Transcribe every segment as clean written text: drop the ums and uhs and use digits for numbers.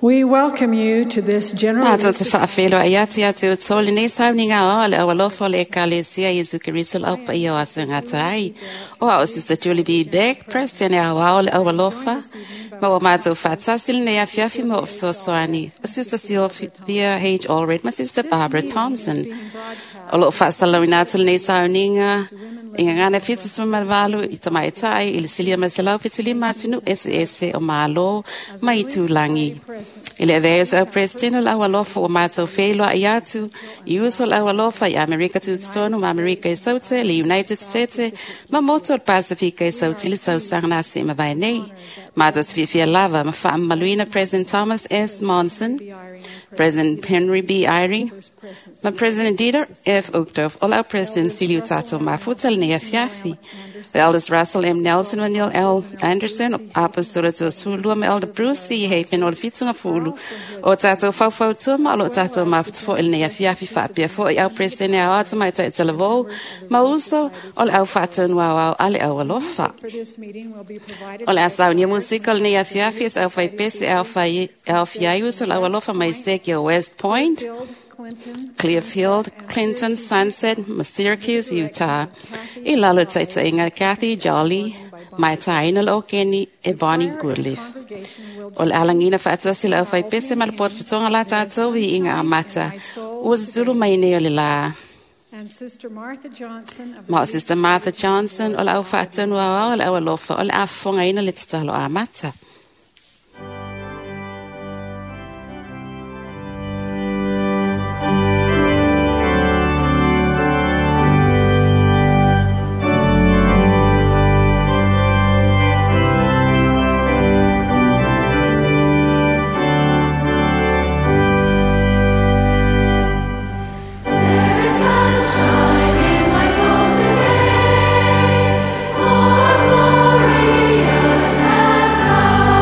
We welcome you to this general Mātou te whaawhelo ai atu atu o tō lenei sauninga o le awalofa le ekalesia Iesu Keriso lau pa ia o asa ngata ai. O ao Sister Julie B. Beck, President e au le awalofa, ma o mātou whātasi lenei afiafi mo o fesoasoani. O Sister Sylvia H. Allred, ma Sister Barbara Thompson. O loo whaasalawina atu lenei sauninga, i ngā fitu suma valu i tamai tai i le silia maselau fitu lima atunu ese ese o malo mai tūlangi. I le avea au president o lau alofa o mātou wheilua i atu, i uso lau alofa i Amerika tutotonu ma Amerika i saute, le United States, ma moto o Pasifika i saute le tausaga na se mawai nei. Mātou se fiafia lava ma whaamaluina President Thomas S. Monson, President Henry B. Eyring, ma President Dieter F. Uchtdorf, o lau President Siliu Tato Mafuta lenei afiafi. The Elders Russell M. Nelson ma Neil L. Anderson, Apostle to Sulua ma Elder Bruce C. Hafen o le fitunga fulu. O tātou whauwhautua ma o lo tātou mafuta fo lenei afiafi whaapia fo i au President au ata mai tai talavou, ma uso o le au whaatonu au au ale au alofa. For this meeting will be provided O le asau nia musika lenei afiafi es au whai pese au whai au fiai uso le au alofa mai steki o West Point, Clinton, Clearfield, Clinton, Sunset, ma Syracuse, Utah. I lalo taitainga Kathy Jolly, mai taina lo Kenny e Bonnie Goodleaf. congregation will O le alangina whaatasi le au whai pese ma le potopotonga la tātou i inga amata. Ua zulu mai nei o le la. and Sister Martha Johnson of Ma o Sister Martha Johnson o le au whaatonu au au o le au alofa o le afonga ina le tatalo amata. There is sunshine in my soul today, more glorious and bright.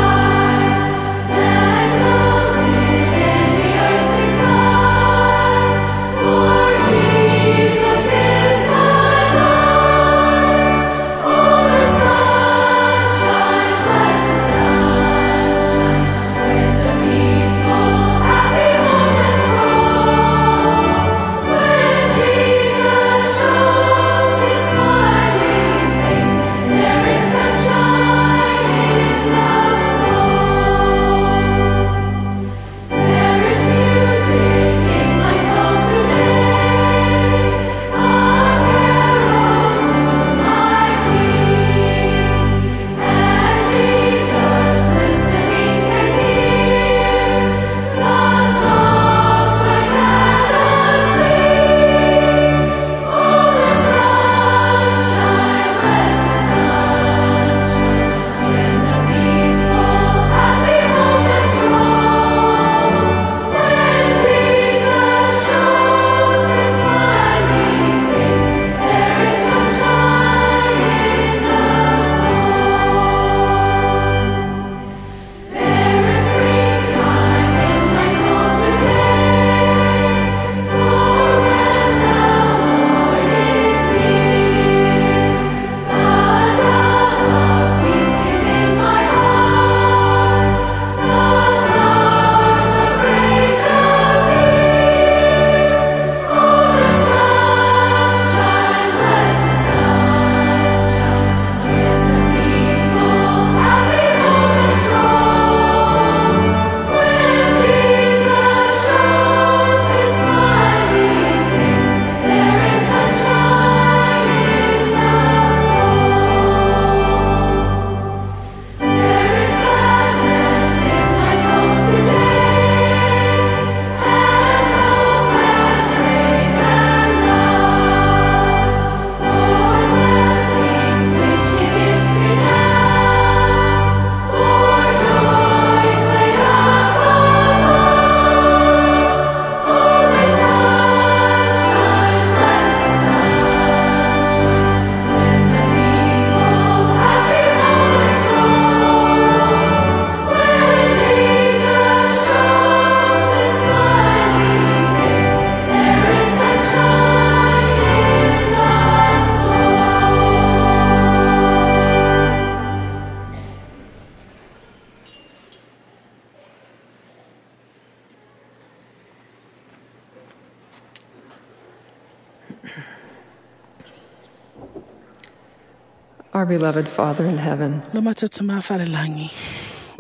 Our beloved Father in heaven, Lo mātou te māwhalelangi,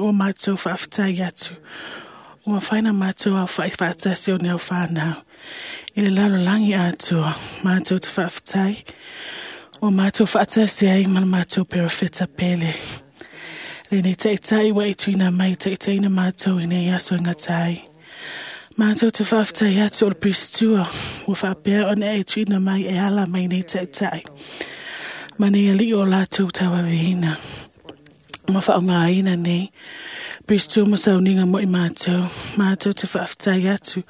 o mātou whaaftai atu, o whaina mātou au whaiwhaatasi o neo whānau. I le lalo langi atua, mātou te whaaftai, o mātou whaatasi ai mana mātou perofeta pele. Le nei taitai wa i tuina mai taitaina mātou i nei aso ngatai. Mātou te whaaftai atu o le pristua, o whaapea o nei tuina mai e ala mai nei taitai. Mane ali o lātou tauawehina. Ma whaongaina nei. Pristua mo sauninga mo i mātou. Mātou te whaaftai atu.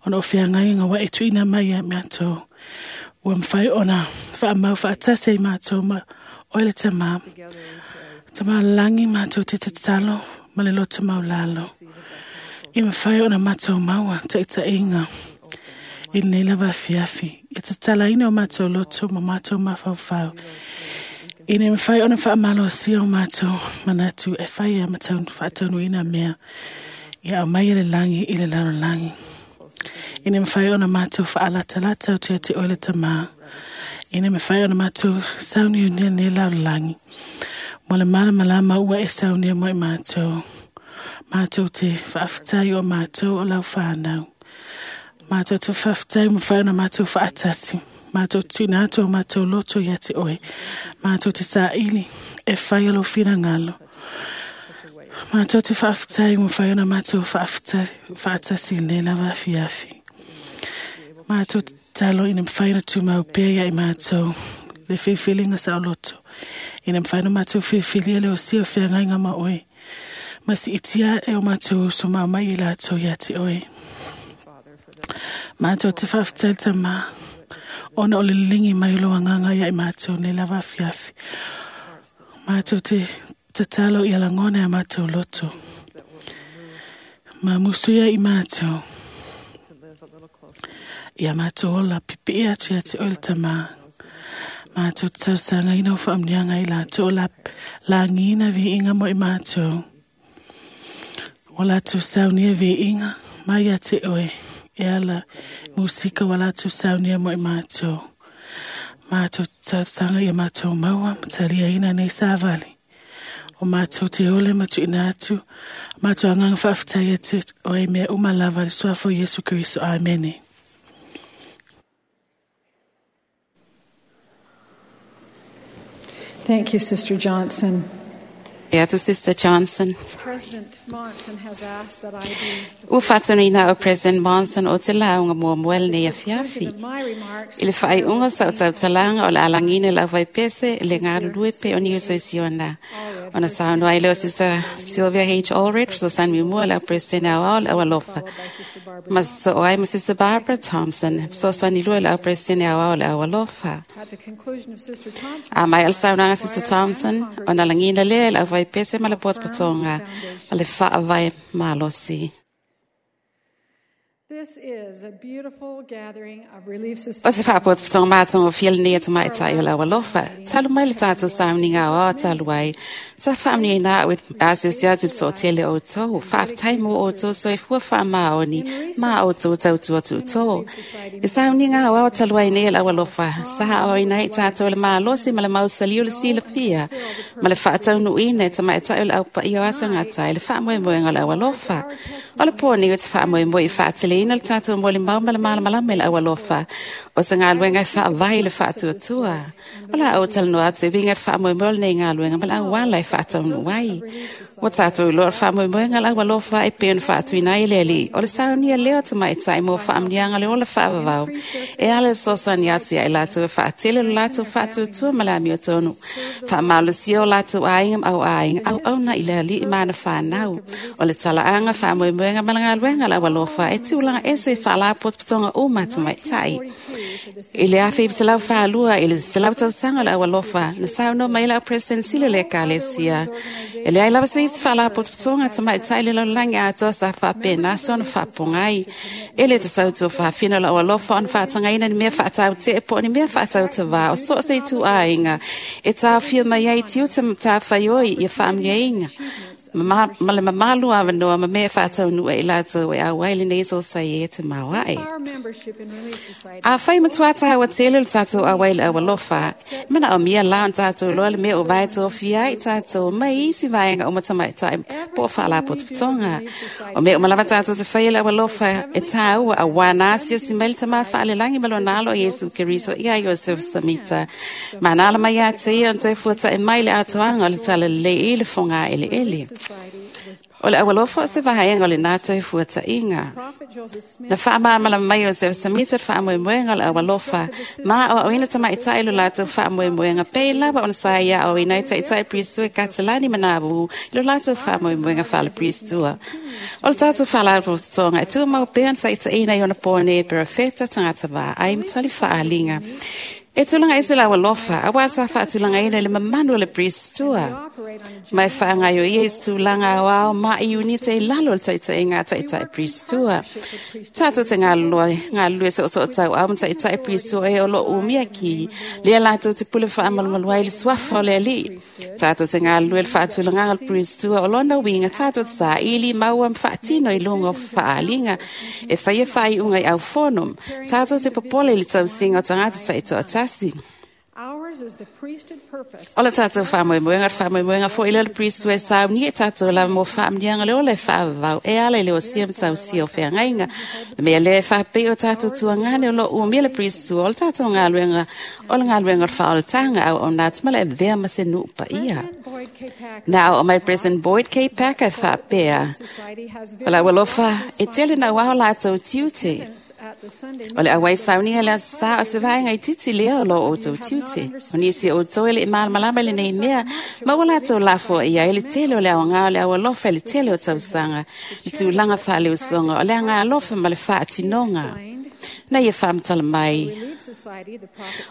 Ona o whiangai ngā wa e tuina mai a mātou. Ua mwhai ona whaamau whaatase i mātou ma oile te mā. Tama langi mātou te tatalo ma le loto maulalo. I mwhai ona mātou maua te ita inga. I nei lava fiafi. I te talaina o mātou loto ma mātou mawhauwhau. I nei mwhai ona whaamalo si o mātou manatu e whai a matau whaataunu ina mea. I au mai le langi i le laro langi. I nei mwhai ona mātou whaalatalata o te ate oile tama. I nei mwhai ona mātou sauni o nei nei laro langi. Mo le mana malama ua e saunia mo i mātou. Mātou te whaaftai o mātou o lau whānau. Mātou te whaaftai mo whaona mātou whaatasi. Mātou tūna atu o mātou loto ia te oe. Mātou te sāili e whai alo whina ngalo. Mātou te whaaftai mo whaona mātou whaatasi le lava fiafi. Mātou te talo ina mwhaina tūmau pea ia i mātou. Le whiwhilinga sa o loto. Ina mwhaina mātou whiwhilia le o si o whiangai ngā ma oe. Masi itia e o mātou so mā mai i lātou ia te oe. Mātou te whaaftai tama. Ona o le lingi mai lo anganga ia i mātou nei lava fiafi. Mātou te tatalo i alangona e mātou loto. Mā musuia i mātou. Ia mātou ola pipi atu ia te oile tama. Mātou te tausanga ina o whaamnianga i lātou o la, langina vi inga mo i mātou. O lātou saunia vi inga mai ia te oe. E ala musika wa lātou saunia mo i mātou. Mātou tausanga ia mātou maua matalia ina nei sāvali. O mātou te ole matu ina atu. Mātou anganga whaaftai atu o e mea umalava le suafo Yesu Kristo. Amene. Thank you, Sister Johnson. E atu Sister Johnson. President Monson has asked that I be Ua whātanina o President Monson o te launga mua muel nei a fiafi. of my remarks. I le whaiunga sa o tautalanga o le alangina lau vai pese le ngā lue pe o ni uso isi ona. Ona saunua i leo Sister Sylvia H. Allred, so san mi mua lau President au au lau alofa. Followed by Sister Barbara. Ma so ai ma Sister Barbara Thompson, so san i lua lau President au au lau alofa. At the conclusion of Sister Thompson's A mai al saunaga remarks, Sister the choir and Thompson, ona langina le lau vai pese ma le potopotonga, ma le whaavai malosi. This is a beautiful gathering of Relief O se Society. whaapotopotonga mātonga o whiala nei atu mai tai o lau alofa. Talu mai le tātou sauninga o ao talu ai. Sa whaamni ai nā ue asio atu le tō o tō. Whaaftai mō o tō so e fua wha maoni. Mā o tō tau tua tu tō. I sauninga o ao talu ai nei lau alofa. Sa o ina i tātou le mālosi ma le mausali o le sila pia. Ma le whaatau nuina e tamai tai o le au pa i o aso ngā tai. Le whaamoemoenga o lau alofa. O le pōni o te whaamoemoe i whaatele ina le tātou mo le mau ma le malamalama i le au alofa. O se ngā luenga i whaavai le whaatuatua. O la au talanoa atu i winga le whaamoemoe o lenei ngā luenga ma le au wala i whaataunu ai. O tātou i loa le whaamoemoenga le au alofa e pēn whaatuina i le ali. O le saunia leo te mai tai mō whaamnianga le ola whaavavau. E ala e sosani atu ia i lātou e whaatele le lātou whaatuatua ma le amio tonu. Whaamalosia o lātou āinga ma au āinga au au na i le ali i mana whānau. O le talaanga whaamoemoenga ma le ngā luenga le au alofa e tiulanga ese whaalapotopotonga o mātou mai tai. I le awhi se lau whaalua, i le se lau tausanga le au alofa, na sauno mai lau President Silo le kalesia. E le ai lava se isi whaalapotopotonga te mai tai le lau langi atoa sa whaapena sa ona whaapongai. E le te tautua whaafina lau alofa ona whaatangaina ni mea whaatau te e po ni mea whaatau te wā o so se i tu āinga. E tā whia mai ai tiu te tā whaioi i a whaamniainga. Ma le mamalu avanoa ma mea e faataunuu ai latou e auai lenei sosaiete maoae. Afai matua tāua tele le tātou auai le aualofa, manaomia la ona tātou iloa le mea o vae tofia ai tātou mai isi vaega o matamaitai po o faalapotopotoga. O mea uma lava tātou te faia le aualofa e tāua auā na asiasi mai le Tama Faalelagi ma lona alo Iesu Keriso ia Iosef Samita. Ma na ala mai ia te ia ona toe fuata'i mai le atoaga o le talalelei i le fogaeleele. O le aualofa o se vaega o lenā toe fuata'iga. Na faamalamalama mai o Iosef Samita le faamoemoega o le aualofa, ma aoaoina tamaitai lo latou faamoemoega pei lava ona sa ia aoaoina ai taitai Piristua i Katalani ma Nauvoo i lo latou faamoemoega faale-Piristua. O le tatou faalapotopotoga e tumau pea ona taitaiina i ona pō nei perofeta, tagata vaai ma tali faaaliga. E tulaga ese le aualofa, auā sa faatulagaina i le mamanu o le Piristua. Ma e faagaioia i se tulaga aoao ma i unite i lalo o le taitaiga a taitai Piristua. Tatou te galulue soosoo tauau ma taitai Piristua e o loo umia ki, lea latou te pule faamalumalu ai le suafa o le Alii. Tatou te galulue le faatulagaga o le Piristua o lona uiga tatou te saili maua ma faatino i luga o faaaliga e faia faaiuga i aufono. Tatou te popole i le tausiga o tagata taitoatasi. O le tātou faamoemoega, le faamoemoega foi lea o le Piristua e saunia i tātou lava mo faamanuiaga le ola e faavavau e ala i le osia ma tausia o feagaiga. Le mea lea e faapei o tātou tuagane o loo umia le Piristua o le tātou galuega o le galuega o le faaolataga auauna atu ma le avea ma se nuu paia. Na aoao mai President Boyd K. Packer e faapea, o le aualofa e tele nauao latou tiute. O le auai sauniga le aso sa o se vaega itiiti lea o lo outou tiute. O nisi o outou e le'i malamalama i lenei mea, ma ua latou lafoai ai le tele o le aogā o le aualofa i le tele o tausaga, le tulaga faaleusoga o le agaalofa ma le faatinoga. Na ia faamatala mai,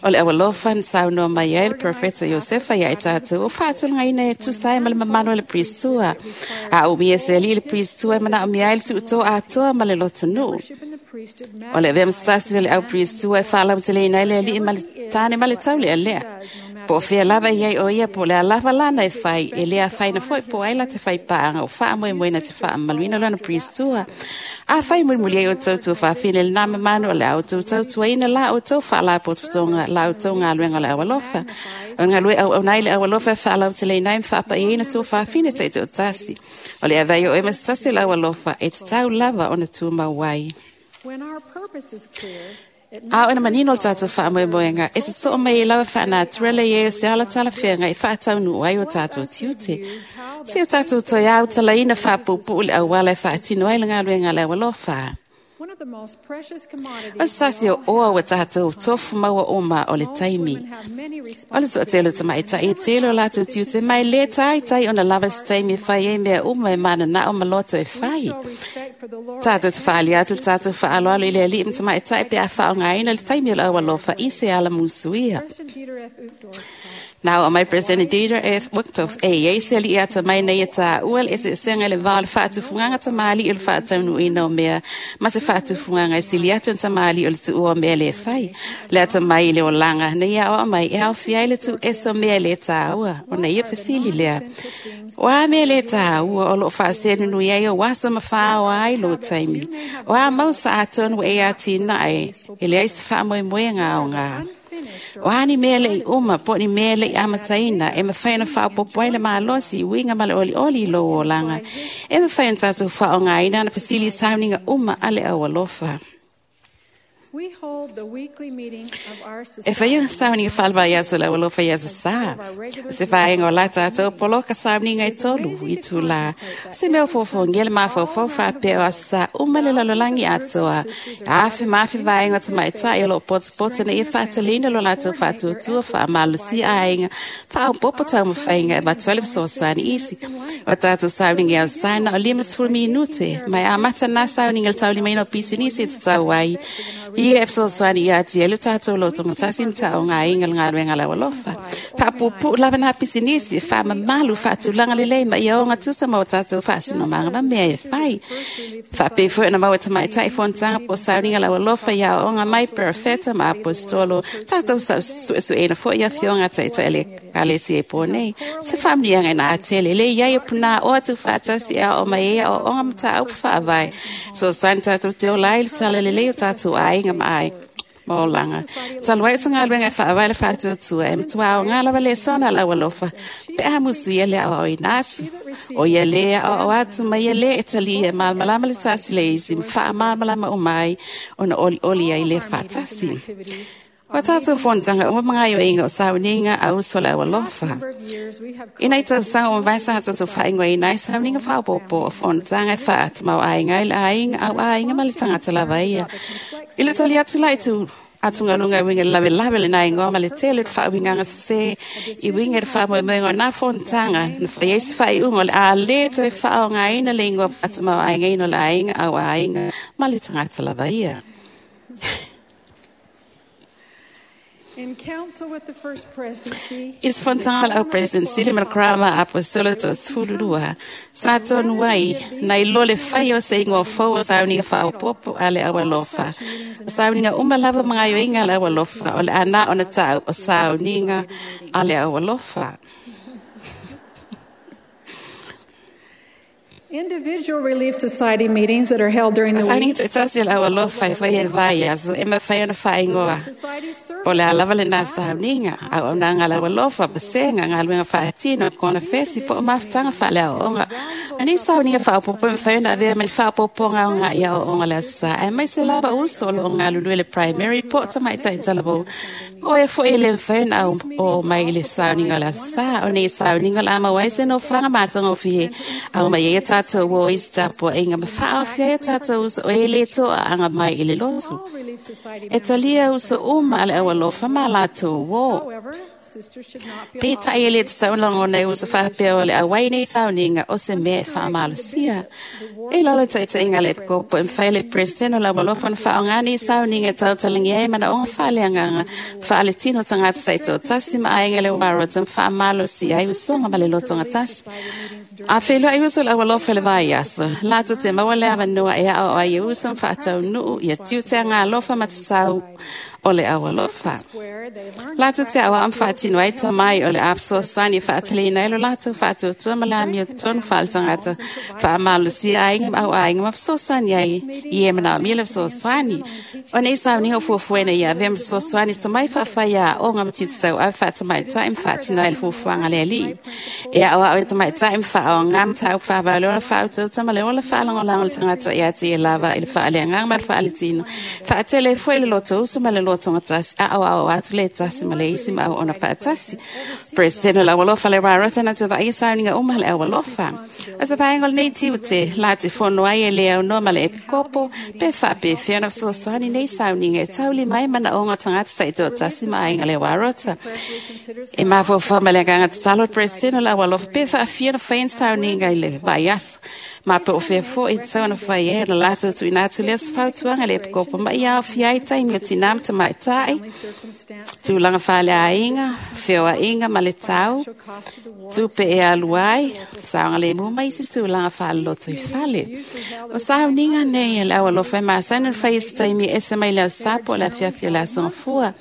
o le aualofa na saunoa mai ai le profeta Iosefa ia i tatou o faatulagaina e tusa ai ma le mamalu o le Piristua. A umia se alii le Piristua e manaomia ai le tuutō atoa ma le lotonuu. O le avea ma se tasi o le au Piristua e faalauteleina ai le alii ma le tane ma le taulealea. Po o fea lava i ai o ia po o le a lava lana e fai, e le afaina foi po o ai la te fai paaga o faamoemoena te faamamaluina lona Piristua. Afai mulimuli ai outou tuafafine i lenā mamanu o le a outou tautuaina la outou faalapotopotoga la outou galuega o le aualofa. O le galue auauna ai le aualofa e faalauteleina ai ma faapaiaina tuafafine taitoatasi. O le avea ai o oe ma se tasi o le aualofa e tatau lava ona tumau ai. A o ina manino le tātou faamoemoega, e sosoo mai ai lava faanaturale i ai o se alatala feagai e faataunuu ai o tātou tiute. Se o tātou toe autalaina faapuupuu le auala e faatino ai le galuega a le aualofa. O se tasi o oa ua tātou tofu maua uma o le taimi. O le toatele o tamaitai e tele o latou tiute mai le taitai ona lava se taimi e fai ai mea uma e mananao ma loto e fai. Tātou te whaali atu le tātou whaaloalo i le alii ma tamaitai pe a faaaogaina le taimi o le aualofa i se ala musuia. Na aoao mai President Dieter F. Uchtdorf e iai se alii atamai na ia tāua le eseesega i le va o le faatufugaga tamalii o le faataunuuina o mea ma se faatufugaga e sili atu ona tamalii o le tuua o mea le fai. Le atamai i le olaga na ia aoao mai e aofia ai le tuuese o mea e le tāua ona ia fesili lea. O a mea le tāua o loo faasenunui ai o aso ma faaoa ai lou taimi. O a mau sa atonu ua e atinae e leai se faamoemoega aogā. O a ni mea le'i uma po o ni mea le'i amataina e mafai ona faaopoopo ai le malosi i uiga ma le olioli i lou olaga. E mafai ona tatou faaaogaina ana fesili i sauniga uma a le aualofa. E faia sauniga faale-vaiaso o le aualofa i aso sa. O se vaega o la tatou poloka sauniga e tolu itulā. O se mea o fofoogia le mafaufau faapea o aso sa uma le lalolagi atoa. Afe ma afe vaega o tamaitai o loo potopoto ina ia faatalina lo latou faatuatua faamalosia aiga faaopoopo taumafaiga e avatu ai le fesoasoani isi. O tatou sauniga i aso sa na o 50 minute, ma e amata na sauniga i le taulimaina o pisinisi e tatau ai. Ia e fesoasoani ia te le tātou loto matasi ma taʻogaina le galuega le aualofa. Faapuupuu lava na pisinisi, faamamalu, faatulaga lelei ma ia ogatusa ma o tatou faasinomaga ma mea e fai. Faapea foi ona maua tamaitaʻi fonotaga po o sauniga le aualofa ia aoaoga mai perofeta ma aposetolo. Tatou suesueina foi ia afioga taʻitaʻi le ekalesia i po nei. Se faamanuiaga ina atele le iai o punā o atu faatasi e aoo mai ai aoaoga mataupu faavae. Fesoasoani tatou te ola ai le tala lelei o tatou aiga ma aiga ma olaga. Talu ai o se galuega e faavae le faatuatua e matuā aogā lava lesona a le aualofa pe a musuia le aoaoina atu. O ia lē aoao atu ma ia lē e talia e malamalama le tasi le isi ma faamalamalama uma ai ona olioli ai le faatasi. Ua tatou fonotaga uma ma gaoioiga o sauniga a uso le aualofa. Ina i tausaga ua mavae sa tatou faaigoaina ai sauniga faaopoopo o fonotaga e faatamauaiga ai le aiga au aiga ma le tagata lava ia. I le tali atu la i tu atugaluga e uiga i le lavelave lena igoa ma le tele o le faauigaga sesē i uiga i le faamoemoega o na fonotaga na fai ai se faaiuga o le a lē toe faaaogaina le igoa faatamauaigaina o le aiga au aiga ma le tagata lava ia. In council with the First Presidency, I se fonotaga o le au presidency le ma le Crown Apostola 12, sa tonu ai, nai lo le fai o se igoa fou o sauniga faaopoopo a le aualofa. O sauniga uma lava ma gaoioiga a le aualofa, o le ana ona ta'u o sauniga a le aualofa. Individual Relief Society meetings that are held during O the sauniga week. toʻatasi a le aualofa e faia i le vaiaso, e mafai ona faaigoa. Society Po o le a lava lena service sauniga, auaunaga a le aualofa, pasega, galuega faatino, kona fesi, po o mafutaga faaleaoaoga. O nei sauniga faaopoopo e mafai ona avea ma ni faaopoopoga o gaʻi aoaoga le aso sa, aemaise lava uso o loo galulue le primary po o tamaitaʻi talavou. O e foi e le mafai ona au o mai i le sauniga o le aso sa. O nei sauniga o le a maua ai se nofoaga matagofie au mai ai a tatou o i se tapuaʻiga ma faaofia ai a tatou uso o e lē toʻaaga mai i le lotu. All Relief Society E talia uso uma a le aualofa ma latou uō. However, sisters should not feel Peitai e le tatau ona lagona ai uso faapea o le auai nei sauniga o se mea e faamalosia. E lalo taʻitaʻiga a le epikopo e mafai le president o le aualofa ona faaaogā nei sauniga e tautalagia ai manaoga faaleagaga faaletino tagata taitoatasi ma aiga le uarota ma faamalosia ai usoga ma le lotogatasi. A feiloai uso le aualofa i le vaiaso, latou te maua le avanoa e aoao ai e uso ma faataunuu ia tiute agalofa ma tatau o le aualofa. where they learn Latou te aoao ma faatino ai tomai o le a fesoasoani e faataleina ai lo latou faatuatua ma le amio tonu faaletagata faamalosia aiga ma au aiga ma fesoasoani ai i e manaomia le fesoasoani. O nei sauniga o fuafuaina ia avea ma fesoasoani tomai faafaia aoga ma tiute tauave faatamaitai ma faatino ai le fuafuaga a le alii. E aoao e tamaitai ma faaoga mataupu faavae o le ola faautautama le ola faalagolago o le tagata ia te ia lava i le faaleagaga ma le faaletino. Faatele ai foi le loto uso ma le lotogatasi, aoao atu le tasi ma le isi ma auauna faatasi. President o le aualofa le rarota na te vaai sauniga uma le aualofa. O se vaega o lenei tiute, la te fono ai e le aunoa ma le epikopo, pe faapefea ona fesoasoani nei sauniga e taulima ai manaoga o tagata taitoatasi ma aiga le warota. E mafaufau ma le agaga tatalo le president o le aualofa pe faafia ona fai ni sauniga i le vaiaso. Ma pe o fea foi e tatau ona fai ai ona latou tuuina atu lea se fautuaga i le epikopo ma ia aofia ai taimi o tinā ma tamaitai, tulaga faaleaiga, feoaiga ma le tau, tupe e alu ai, saogalemu ma isi tulaga faaloloto i fale. O sauniga nei a le aualofa e masani ona faia i se taimi e ese mai le aso sa po o le afiafi o le aso gafua.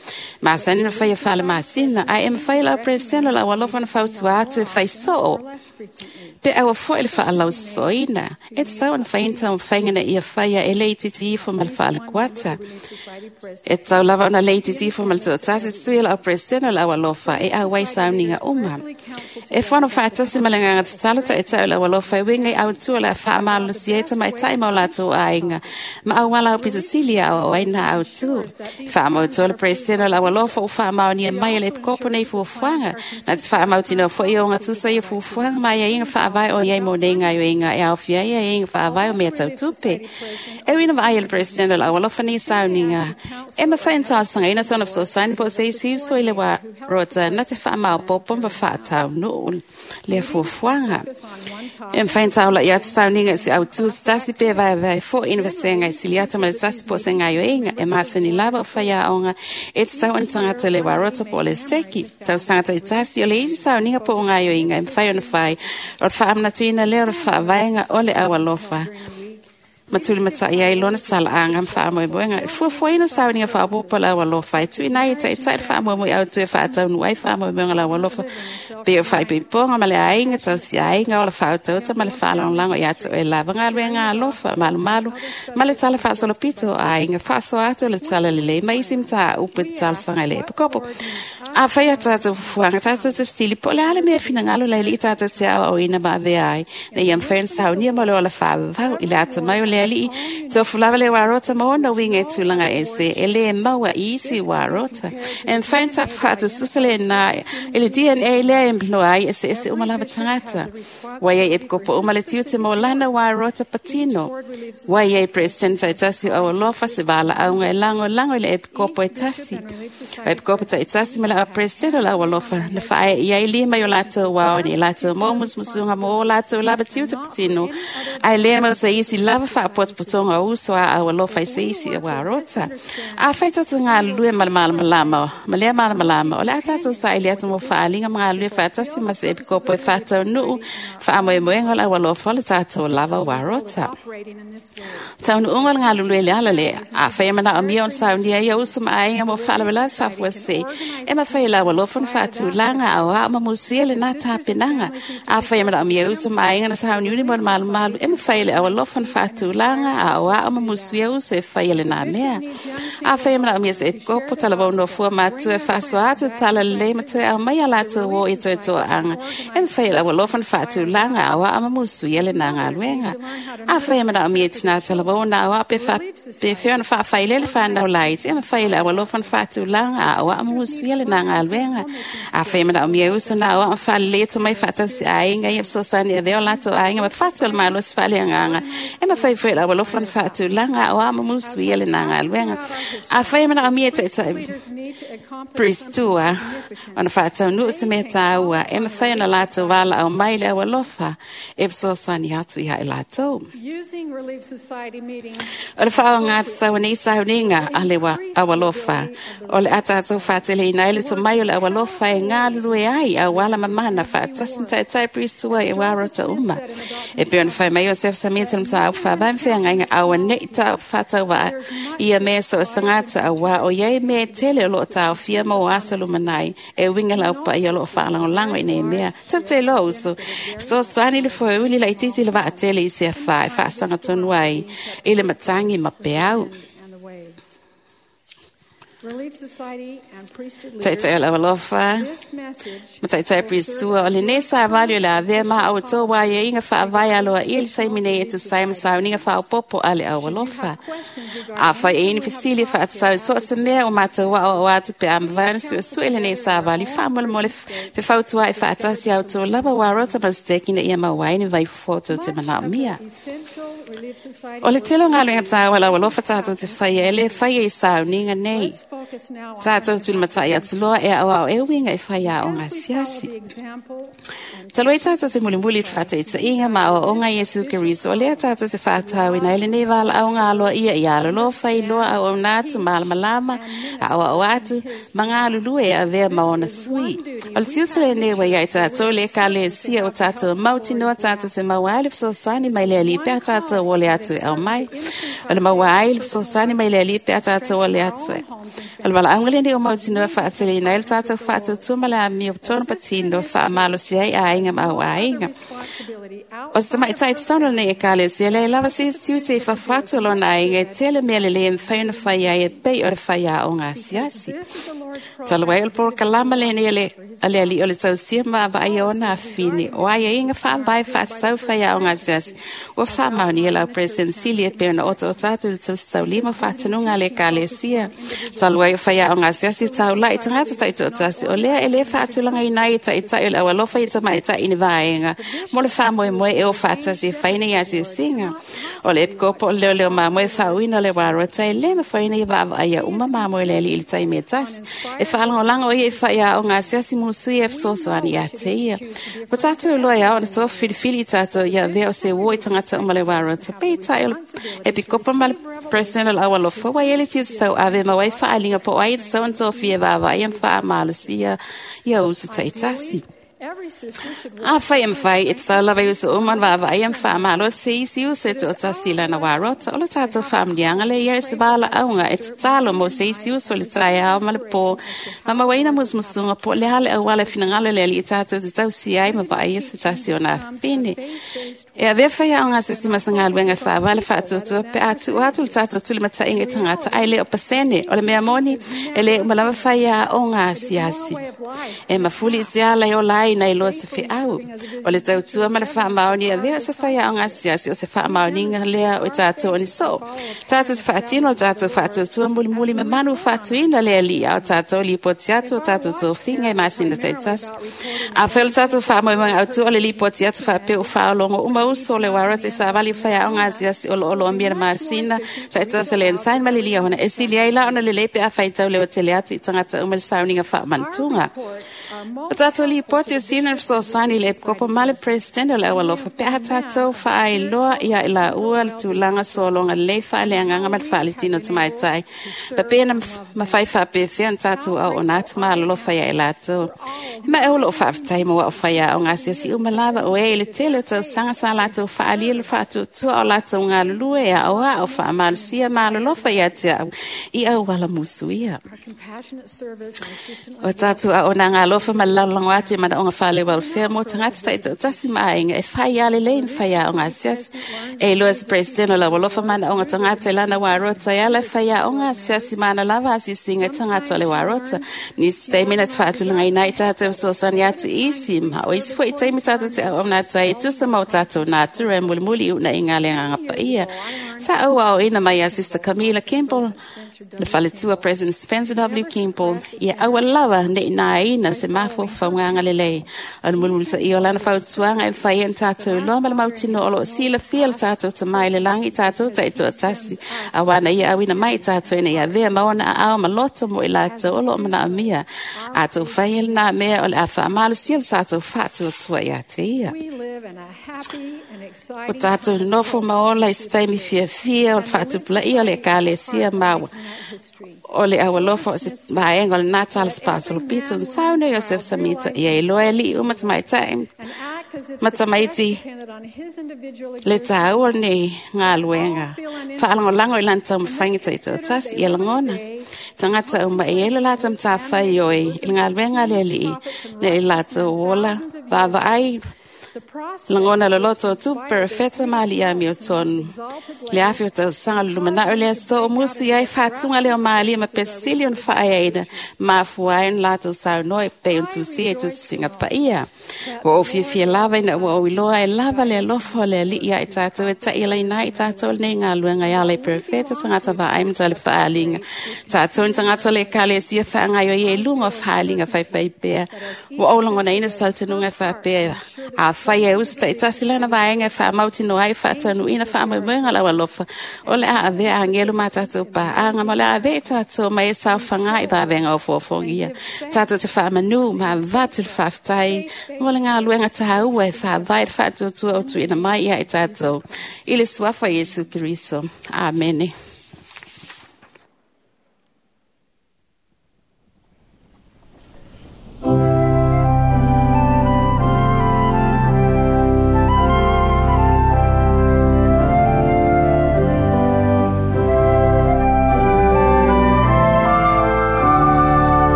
Masani ona faia faalemasina, ae e mafai e le au president o le aualofa ona fautua atu e fai soo. Pe aua foi le faalausosoina, e tatau ona fai ni taumafaiga ina ia faia e le itiiti ifo ma le faalakuata. E tatau lava ona le itiiti ifo ma le toatasi sui o le au president o le aualofa e auai sauniga uma. E fono faatasi ma le agaga tatalo taʻitaʻi o le aualofa e uiga i autua o le a faamalosia ai tamaitai ma o latou aiga ma auala aupito sili e aoao ai na autū. Faamautua le president o le aualofa ua faamaonia mai e le epikopo nei fuafuaga na te faamautinoa foi ia ogatusa ia fuafuaga ma aiaiga faavae o iai mo nei gaoioiga e aofia ai aiaiga faavae o mea tau tupe. E uina vaai e le president o le aualofa nei sauniga e mafai ona ona talosagaina sona fesoasoani po o se isi uso i le uarota na te faamaopoopo ma faataunuu lea fuafuaga. E mafai ona taula'i atu sauniga i se autū se tasi pe vaevae fo'i ni vasega e sili atu ma le tasi po o se gaioiga e masani lava o faiaoga e tatau ona tagata le uarota po o le steki. Tausaga ta'itasi o le isi sauniga po o gaioiga e mafai ona fai o le faamanatuina lea o le faavaega o le aualofa ma tulimata'i ai lona tala'aga ma faamoemoega. E fuafuaina sauniga faaopoopo le aualofa e tuuina ai e ta'ita'i le faamoemoe autu e faataunuu ai faamoemoega o le aualofa pei o faaipoipoga ma le aiga tausiaiga ola faautauta ma le faalagolago ia te oe lava galuega alofa malumalu ma le tala faasolopito o aiga faasoa atu o le tala lelei ma isi mataupu e talosaga i le epikopo. Afai a tatou fuafuaga tatou te fesili po o le a le mea finagalo le Alii tatou te aoaoina ma avea ai ina ia mafai ona saunia mo le ola faavavau i le atamai o le Alii tofu lava le uarota ma ona uiga e tulaga ese e lē maua i isi uarota. E mafai ona faatususa lenā i le DNA lea e noa ai eseese uma lava tagata. Ua iai epikopo uma le tiute mo lana uarota patino. Ua iai Peresetene ta'itasi o aualofa se valaauga e lagolago i le epikopo e tasi. O epikopo ta'itasi ma le au Peresetene o le aualofa na faaee ai lima i o latou ao ina ia latou maua musumusuga mo o latou lava tiute patino ae lē mau se isi lava faapotopotoga o uso a aualofa i se isi uarota. Afai tatou galulue ma le malamalama ma lea malamalama o le a tatou saili atu mo faaliga ma galulue faatasi ma se epikopo e faataunuu faamoemoega o le aualofa o le tatou lava uarota. Taunuuga o le galulue le ala lea afai e manaomia ona saunia ia uso ma aiga mo faalavelave faafuasei e mafai e le aualofa ona faatulaga aoao ma musuia lenā tapenaga. Afai e manaomia uso ma aiga na sauniuni mo le malumalu e mafai e le aualofa ona faatulaga aoao ma musuia uso e faia lenā mea. Afai e manaomia se epikopo talavou nofua matua e faasoa atu tala lelei ma toe aumai a latou o i toetoaaga e mafai e le aualofa ona faatulaga aoao ma musuia lenā galuega. Afai e manaomia i tinā talavou ona aoao pe fea ona faafailele fanau laiti e mafai e le aualofa ona faatulaga aoao ma musuia lenā galuega. Afai e manaomia e uso na aoao ma faalelei tomai faatausi aiga ia fesoasoani e avea o latou aiga ma fatu o le malosi faaleagaga e mafai foi e le aualofa ona faatulaga aoao ma musuia lenā galuega. Afai e manaomia e ta'ita'i Pristua ona faataunuu se mea tāua e mafai ona latou valaau mai le aualofa e fesoasoani atu ia i latou. Using Relief Society meetings O le faaoga tatau nei sauniga a le aualofa o le a tatou faateleina ai le tomai o le aualofa e galulue ai auala mamana faatasi ma ta'ita'i Pristua e uarota uma. E pei ona fai mai o Joseph Smith le mataupu faavae ma feagaiga auane'i faatauvaa ia mea so o se tagata auā o iai mea e tele o loo taofia ma o aso lumanai e uiga laupaia o loo faalagolago i nei mea. Tatou te iloa uso fesoasoani le foeuli laitiiti le vaatele i se afā e faasagatonu ai i le matagi ma peau. and the waves. Relief Society and priesthood Ta'ita'i o leaders, le aualofa this message ma ta'ita'i Prisua o lenei savali o le avea ma outou uaiaiga faavae aloaia i le taimi nei e tusa ai ma sauniga faaopoopo a le aualofa. Afai e ai ni fesili e faatatau i so o se mea o matou aoao atu pe a mavae ona suesue lenei savali faamolemole fefautua'i faatasi a outou lava uarota ma steki ina ia maua ai ni vaifofo tou te manaomia. essential Relief Society O le tele o galuega tāua le aualofa tatou te faia e lē faia i sauniga nei. Let's focus now on Tatou tulimata'i atu loa e aoao e uiga i faiaoga as we follow asiasi. the example and Talu ai tatou te mulimuli i le faataitaiga ma aoaoga a Iesu Keriso o lea tatou te faatauina ai lenei valaauga aloaia ia alolofa iloa auauna atu malamalama aoao atu ma galulue e avea ma ona sui. O le tiute lenei ua iai tatou le ekalesia o tatou mautinoa tatou te maua ai le fesoasoani mai le Alii pe a tatou ole atu e aumai. O le maua ai le fesoasoani mai le Alii pe a tatou ole atu e. O le valaauga lenei o mautinoa faateleina ai le tatou faatuatua ma le amio tonu patino faamalosi ai aiga ma au aiga. responsibility O se tamaʻitai tatau lenei ekalesia leai lava se isi tiute i fafo atu o lona aiga e tele mea lelei e mafai ona fai ai e pei o le faiaoga asiasi. This is the Lord's Talu ai o le program polokalama lenei a le Alii o le tausia ma vaaia ona afine o aiaiga faavae faatatau faiaoga asiasi ua faamaonia lau President Sili e pei ona otaota atu i le tausitaulima faatanuga a le ekalesia. Talu ai o faiaoga asiasi taula'i tagata ta'itoatasi o lea e lē faatulagaina ai e ta'ita'i o le aualofa i tamaʻita'i ni vaega mo le faamoemoe mamoe e o faatasi e faina i asiasiga. O le epikopo o le leoleo mamoe faauina o le warota e le mafaina ia vaavaaia uma mamoe le alii i le taimi e tasi. E faalagolago o ia i faiaoga asiasi musui e fesoasoani ia te ia. Ua tatou iloa e ao ona tofi filifili i tatou ia avea o se uo i tagata uma le warota. Peitai o le epikopo ma le president o le aualofa ua i ai le tiute tauave ma ua ai faaaliga po o ai e tatau ona tofia e vaavaaia ma faamalosia ia uso taitasi. Every sister should work Afai e mafai, e tatau lava i uso uma ona vaavaaia ma faamalosi isi uso e toatasi i lana warota. O le tatou faamanuiaga lea ia e se valaauga e tatalo mo se isi uso i le taeao ma le pō, ma mauaina musumusuga po o le a le auala e finagalo le Alii tatou te tausia ai ma vaaia se tasi o nā fine. E avea faiaoga asiasi ma se galuega e faavae le faatuatua pe a tuu atu le tatou tulimataiga i tagata ae le o pasene. O le mea moni, e le uma lava faiaoga asiasi. E mafuli i se ala e ola ai nai loa se feau. O le tautua ma le faamaoni e avea se faiaoga asiasi o se faamaoniga lea o i tatou o ni soo. Tatou te faatino le tatou faatuatua mulimuli ma manu faatuina le Alii a o tatou lipoti atu o tatou tofiga i masina taitasi. Afai o le tatou faamoemoega autu o le lipoti atu faapea ua faaologo uma uso o le warata i savali i faiaoga asiasi o lo o loomia le masina taitasi o le ensign ma le liahona e sili ai la ona lelei pe a faitau leotele atu i tagata uma le sauniga faamanatuga. O tatou lipoti e sina le fesoasoani i le epikopo ma le president o le aualofa pe a tatou faailoa ia i laua le tulaga sologa lelei faaleagaga ma le faaletino tamaitai. Faapea na mafai faapefea ona tatou auauna atu ma alolofa ia i latou. E ma e o loo faafetai mo au faiaoga asiasi uma lava o e i le tele o tausaga sa latou faaalia le faatuatua o latou galulue e aoao faamalosia ma alolofa ia te au i auala musuia. our compassionate service and assistant O tatou auaunaga alofa ma le lalolago atu i manaoga faale-welfare mo tagata taitoatasi ma aiga e fai a lelei ni faiaoga asiasi. E iloa se president o le aualofa manaoga tagata i lana warota e ala e faiaoga asiasi ma ana lava asiasiga i tagata o le warota. Nisi taimi na te faatulagaina ai tatou e fesoasoani atu i isi ma o isi foi taimi tatou te auauna atu ai e tusa ma o tatou natura e mulimuli i uunaiga a le Agaga Paia. Sa auaoina mai ia Sister Camilla Campbell le faletua President Spencer W. Kimball, ia aua lava nei nāina se mafaufauga lelei. O le mulimulitaia o lana fautuaga e mafai ai ona tatou iloa ma le mautinoa o loo silafia le tatou Tamā i le lagi i tatou taitoatasi, auā na ia auina mai i tatou ina ia avea ma ona aao ma loto mo i latou o loo manaomia. A tou fai e lenā mea o le a faamalosia le tatou faatuatua ia te ia. We live in a happy and O exciting tatou nofo ma ola i se taimi fiafia o le faatupulaia o le ekalesia maua. history. O le aualofa o se vaega o lenā tala spasolo pito na sauna Iosef Samita ia iloa e alii uma tamaitai And act as if ma success tamaiti depended on his individual le exertion. tāua lenei galuega. Faalagolago i lana taumafaiga taitoatasi ia lagona. Tagata uma e ai le latou matafaioi i le galuega a le Alii, nei latou ola, vaavaai The prospect lagona loloto o tupu perefeta ma alii amiotonu. Le afi o tausaga le lumanai o le aso o musu i ai faatuga lea o malia ma pesili ona faaeaina mafua ai ona latou saunoa e pei ona tusia i tusisiga paia. Ua ou fiafia lava ina ua ou iloa e lava le alofa o le Alii ia i tatou e ta'ialaina ai i tatou lenei galuega e ala i perefeta tagata vaai ma tale faaaliga. Tatou ni tagata o le ekalesia faagaioia i luga o faaaliga faifaipea. Ua ou lagonaina se talitonuga e faapea afai e uso taitasi lana vaega e faamautinoa ai faataunuuina faamoemoega lau alofa o le a avea agelu ma tatou paaga ma o le a avea i tatou mai e saofaga i vavega o fuafuagia. Tatou te faamanū ma avatu le faafetai mo le galuega tāua e faavae le faatuatua o tuuina mai ia i tatou. I le suafa o Iesu Keriso. Amene.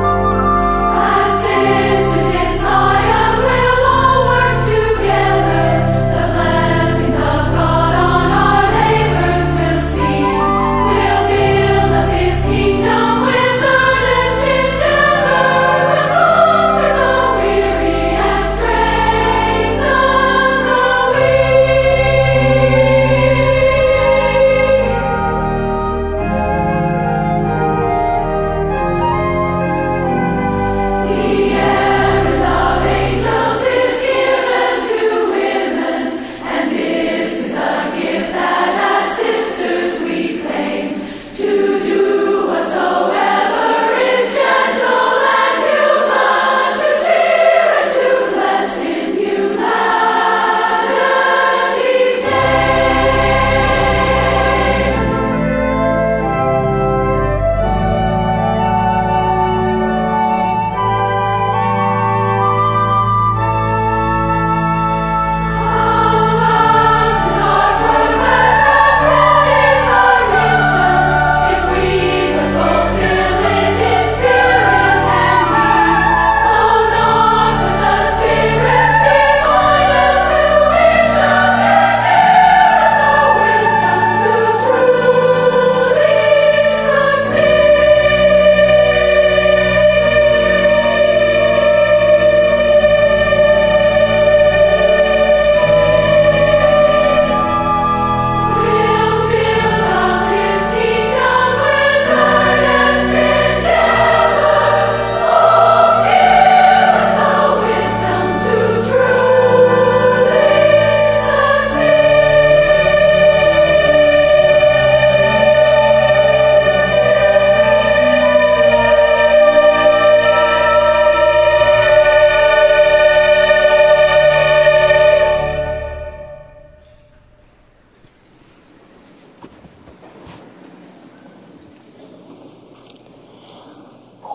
As sisters in Zion, we'll all work together. The blessed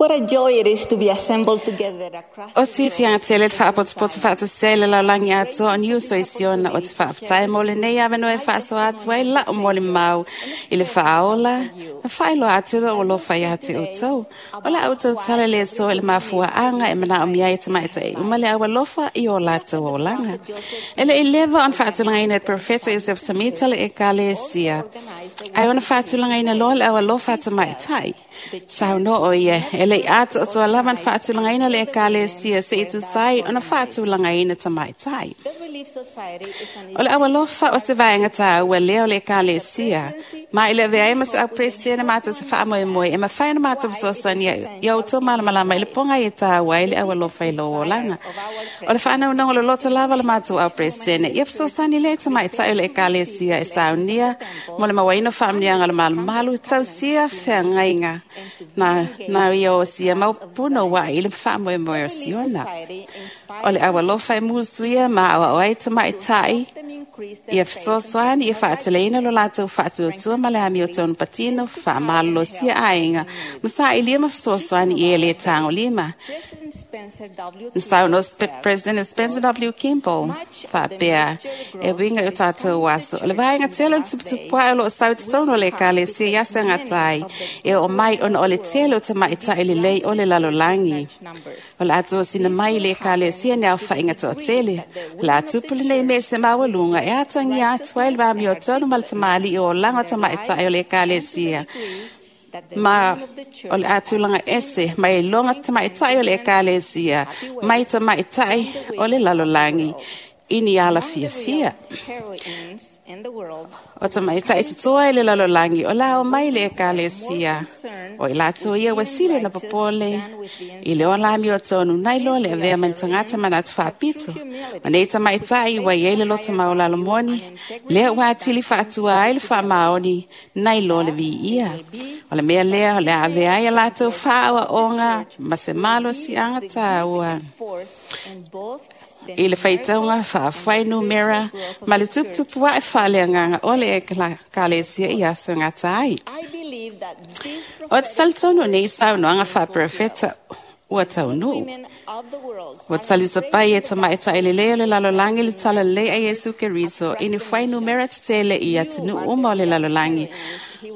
What a joy it is to be assembled together across O se fiafiaga tele le faapotopoto faatasia i le lalolagi atoa o niuso i Siona o te faafetai mo lenei avanoa e faasoa atu ai la'u molimau i le faaola ma faailoa atu lou alofa iā te outou. O la outou tala le soa i le mafuaaga e manaomia ai e tamaita'i uma le aualofa i o latou olaga. E le'i leva ona faatulagaina e le Perofeta Iosefo Samita le Ekalesia, ae ona faatulagaina loa le aualofa a tamaitai. Saunoa o ia, e le'i atoatoa lava ona faatulagaina le Ekalesia se'i tusa ai ona faatulagaina tamaitai. The Relief Society is an O le aualofa o se vaega tāua lea o le Ekalesia, ma i le avea ai ma se au Peresetene matou te faamoemoe e mafai ona matou fesoasoani ia outou malamalama i le pogai e tāua ai le aualofa i lou olaga. O le faanaunaga o le loto lava o le matou au Peresetene, ia fesoasoani lea i tamaitai o le Ekalesia e saunia mo le mauaina o faamanuiaga o le malumalu, tausia feagaiga na, na ia o sia mau puno ua'i i le faamoemoe o Siona. O le aualofa e musuia ma aoao ai tamaitai them increase their ia fesoasoani ia faateleina lo latou faatuatua ma le amiotonu patino faamalolosia aiga ma saʻilia ma fesoasoani i e lē tagolima. President Spencer W. Na saunoa President Spencer W. Kimball faapea e uiga i o tatou aso. O le vaega tele o le tuputupu ae o loo sau i totonu o le Ekalesia i aso e gata ai e oo mai ona o le tele o tamaitai lelei o le lalolagi. O le a tosina mai i le Ekalesia ni aofaiga toatele. O le a tupu lenei mea i se maualuga e atagia atu ai le vamiotonu ma le tamalii o olaga o tamaitai o le Ekalesia ma o le a tulaga ese mai iloga tamaitai o le Ekalesia mai tamaitai o le lalolagi i ni ala fiafia. heroines in the world O tamaitai totoa i le lalolagi o la o mai le Ekalesia. O i latou ia ua sili ona popole i le ola amiotonu nai loa le avea mai ni tagata manatu faapito. Ma nei tamaitai ua i ai le loto maualalo moni, lea ua atili faatua ai le faamaoni nai loa le viia. O le mea lea o le a avea ai a latou faaoaoga ma se malosiaga tāua force in both the i le faitauga faafuainumera ma le tuputupu ae faaleagaga o le Ekalesia i aso e gata ai. I believe that this O te talitonu nei saunoaga faaperofeta ua taunuu. women of the world Ua talisapai e tamaitai lelei o le lalolagi le talalelei a Iesu Keriso i ni fuainumera tetele i atunuu uma o le lalolagi.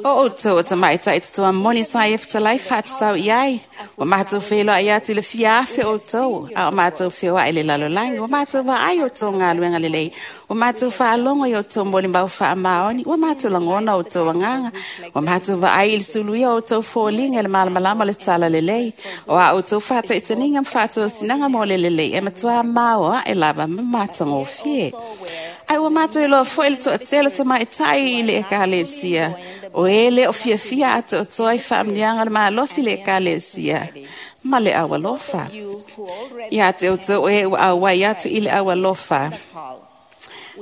O outou o tamaitai totoa moni sa ia fetalai faatatau i ai. Ua matou feiloai atu i le fia afe outou, a o matou feoai i le lalolagi. Ua matou vaai outou galuega lelei. Ua matou faalogo i outou molimau faamaoni. Ua matou lagona outou agaga. Ua matou vaai i le suluia o outou foliga i le malamalama o le talalelei. O a outou faataitaniga ma faatosinaga mo le lelei e matua maoae lava ma matagofie. Ai ua matou iloa foi le toatele o tamaitai i le Ekalesia. O e le o fiafia atoatoa i faamanuiaga o le malosi i le Ekalesia ma le aualofa. you who already Ia te outou e ua auai atu i le aualofa. call.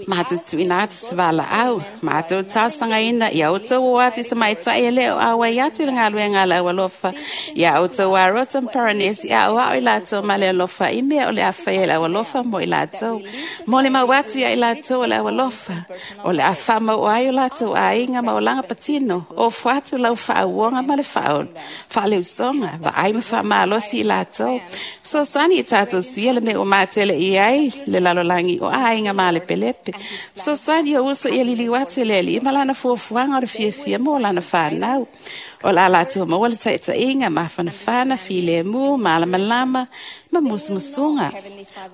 Matou tuuina atu se valaau, matou talosagaina ia outou o atu i tamaitai e le o auai atu i le galuega a le aualofa, ia outou arota ma paranesi aoao i latou ma le alofa i mea o le a faia i le aualofa mo i latou. Mo le mau atu ia i latou o le aualofa, o le a faamauo ai o latou aiga ma olaga patino, ofo atu lau faauoga ma le faaleusoga, vaai ma faamalosi i latou. Fesoasoani i tatou suia le mea ua matele i ai le lalolagi o aiga malepelepe. Fesoasoani o uso ia liliu atu i le Alii ma lana fuafuaga o le fiafia mo lana fanau. O le a latou maua le taitaiga, mafanafana, filemu, malamalama ma musumusuga.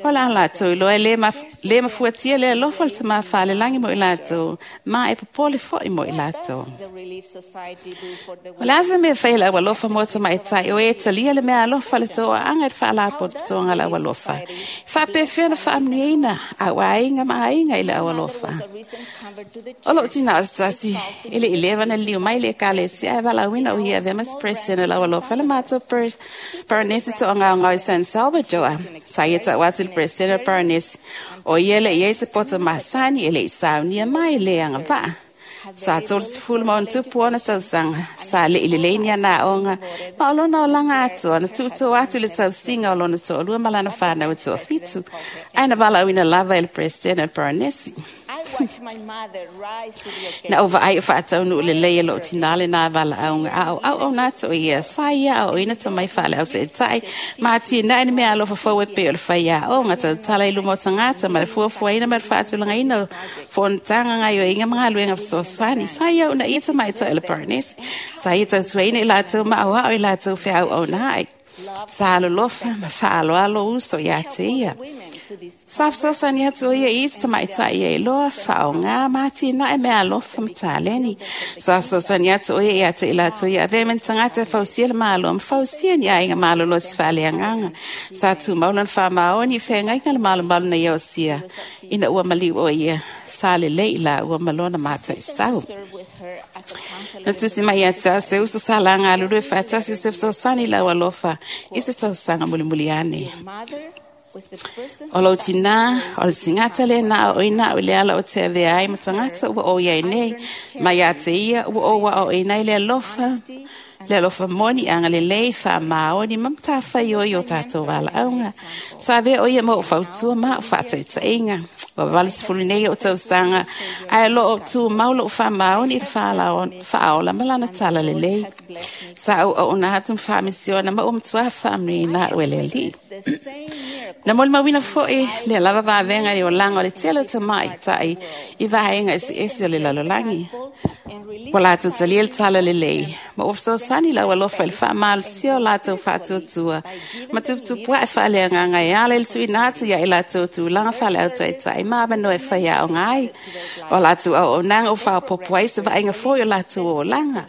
O le a latou iloa e le mafuatia le alofa o le Tamā Falelagi mo i latou, ma e popole foi mo i latou. The Relief Society do for the O le a se mea fai le aualofa mo tamaitai o e talia le mea alofa le toaaga i le faalapotopotoga o le aualofa. Faapefea na faamanuiaina au aiga ma aiga i le aualofa. a recent convert to the O lou tina o se tasi, e le i leva na liliu mai le Ekalesia ae valaauina o ia avea ma se President o le aualofa le matou Paranesi toagaogao i San Salvador. Sa ia tau atu i le President o Paranesi, o ia le i ai se poto masani e le i saunia mai le agavaa. Sa 30 ma ona tupu ona tausaga, sa le'i lelei ni ana aoga, ma o lona olaga atoa na tuutuu atu i le tausiga o lona toalua ma lana fanau e toafitu, ae na valaauina lava e le President o le Paranesi. I Na ou vaai o faataunuu lelei e loo tinā lenā valaauga a o auauna atu o ia sa ia aoaoina tomai faaleau taʻitaʻi ma atinae ni mea alofa fou e pei o le faiaoga tautala i luma o tagata ma le fuafuaina ma le faatulagaina o fonotaga gaoioiga ma galuega fesoasoani. Sa ia uunaia tamaitaʻi o le Paranesi. Sa ia tautuaina i latou ma aoao i latou feauauna ai. Sa alolofa ma faaaloalo uso iā te ia. Sa fesoasoani atu o ia i isi tamaitaʻi e iloa faaaogā ma atinae mea alofa ma taleni. Sa fesoasoani atu o ia iā te i latou ia avea ma ni tagata e fausia le Malo ma fausia ni aiga malolosi faaleagaga. Sa tumau lona faamaoni i feagaiga le malomalu na ia osia ina ua maliu o ia sa lelei i laua ma lona mataisau. Na tusi mai ia te au se uso sa laga alulue faatasi o se fesoasoani i lau alofa i se tausaga mulimuli ane. O lou tinā, o le tigata lenā o oina au i le ala o te avea ai ma tagata ua ou iai nei, ma iā te ia ua ou aoaoina ai le alofa, le alofa moni agalelei faamaoni ma matafaioi o tatou valaauga. Sa avea o ia ma ou fautua ma au faataitaiga. Ua 80 nei ou tausaga, ae o loo tumau lou faamaoni i le faaola ma lana tala lelei. Sa ou auauna atu ma faamisiona ma ua matuā faamanuiaina au e le Alii. Na molimauina foi lea lava vavega i le olaga o le tele o tamaitaʻi i vaega eseese o le lalolagi. Ua latou talia le tala lelei, ma ua fesoasoani lau alofa i le faamalosia o latou faatuatua ma tuputupuaʻe faaleagaga e ala i le tuuina atu ia i latou tulaga faaleautaʻitaʻi ma avanoa e faiaoga ai. O latou auaunaga ua faaopoopo ai se vaaiga foi o latou olaga,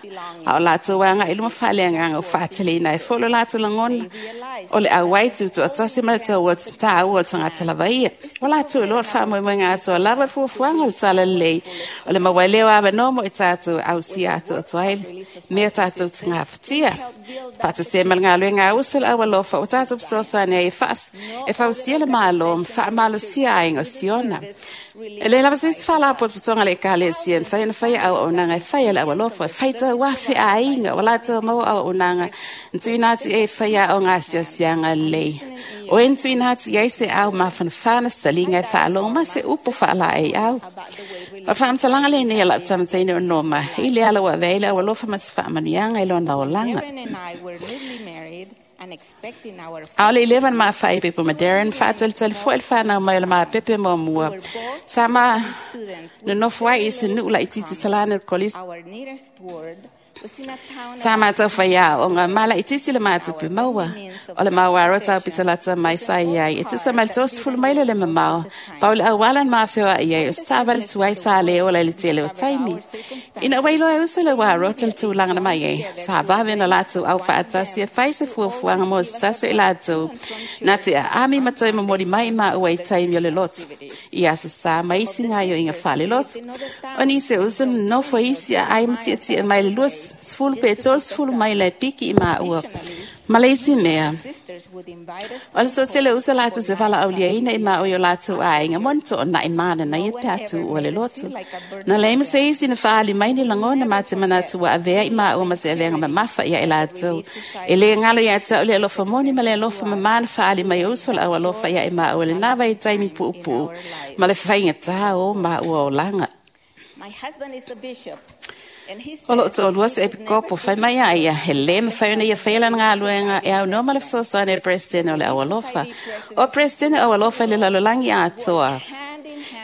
a o latou agaʻi i luma faaleagaga ua faateleina ai foi lo latou lagona o le auai tutoatasi ma le taua o le tagata lava ia. Ua latou iloa le faamoemoega atoa lava i le fuafuaga o le tala lelei o le maua ai lea o avanoa mo i tatou e ausia atoatoa ai mea tatou te gafatia. Faatasia ma le galuega a uso le aualofa ua tatou fesoasoani ai e fausia le Malo ma faamalosia aiga o Siona. E le lava se isi faalapotopotoga a le Ekalesia e mafai ona faia auaunaga e fai e le aualofa, e faitau afe aiga ua latou maua auaunaga na tuuina atu i ai e faiaoga asiasiaga lelei. O e na tuuina atu i ai se au mafanafana se taliga e faalogo ma se upu faalaeiau. O le faamatalaga lenei a lau tamataine o Noma i le ala ua avea ai le aualofa ma se faamanuiaga i lona olaga. A o le i leva ona mafaaipoipo ma Darren, faatalitali foi le fanau mai o le mapepe muamua. Sa ma nonofo ai i se nuu laitiiti talana o le kolisi. Sa matou faiaoga ma laitiiti le matupe maua. O le mauaro taupito lata mai sa iai e tusa ma le 30 maila le mamao. Pau le auala na mafeoaʻi ai o se taavale tuai sa le ola i le tele o taimi. Ina ua iloa e uso le uarota le tulaga na mai ai, sa vave ona latou aufaatasi e fai se fuafuaga mo se tasi o i latou na te aami ma toe momoli mai i maua i taimi o le loto, i aso sa ma isi gaoioiga faaleloto. O nisi o uso na nonofo i isi aai ma tiatia mai le 20 pe 30 maila e piki i maua. Ma le isi mea, o le toatele o uso latou te valaauliaina i maua i o latou aiga mo ni toonai mananaia pe a tuua le loto. Na leai ma se isi na faaali mai ni lagona ma te manatu ua avea i maua ma se aveaga mamafa ia i latou. E le galo iā te au le alofa moni ma le alofa mamā na faaali mai o uso le aualofa ia i maua i lenā vaitaimi puupuu ma le faigatā o maua olaga. O loo toalua se epikopo fai mai a ia, he le mafai ona ia faia lana galuega e aunoa ma le fesoasoani a le Peresetene o le Aualofa. O Peresetene o Aualofa i le lalolagi atoa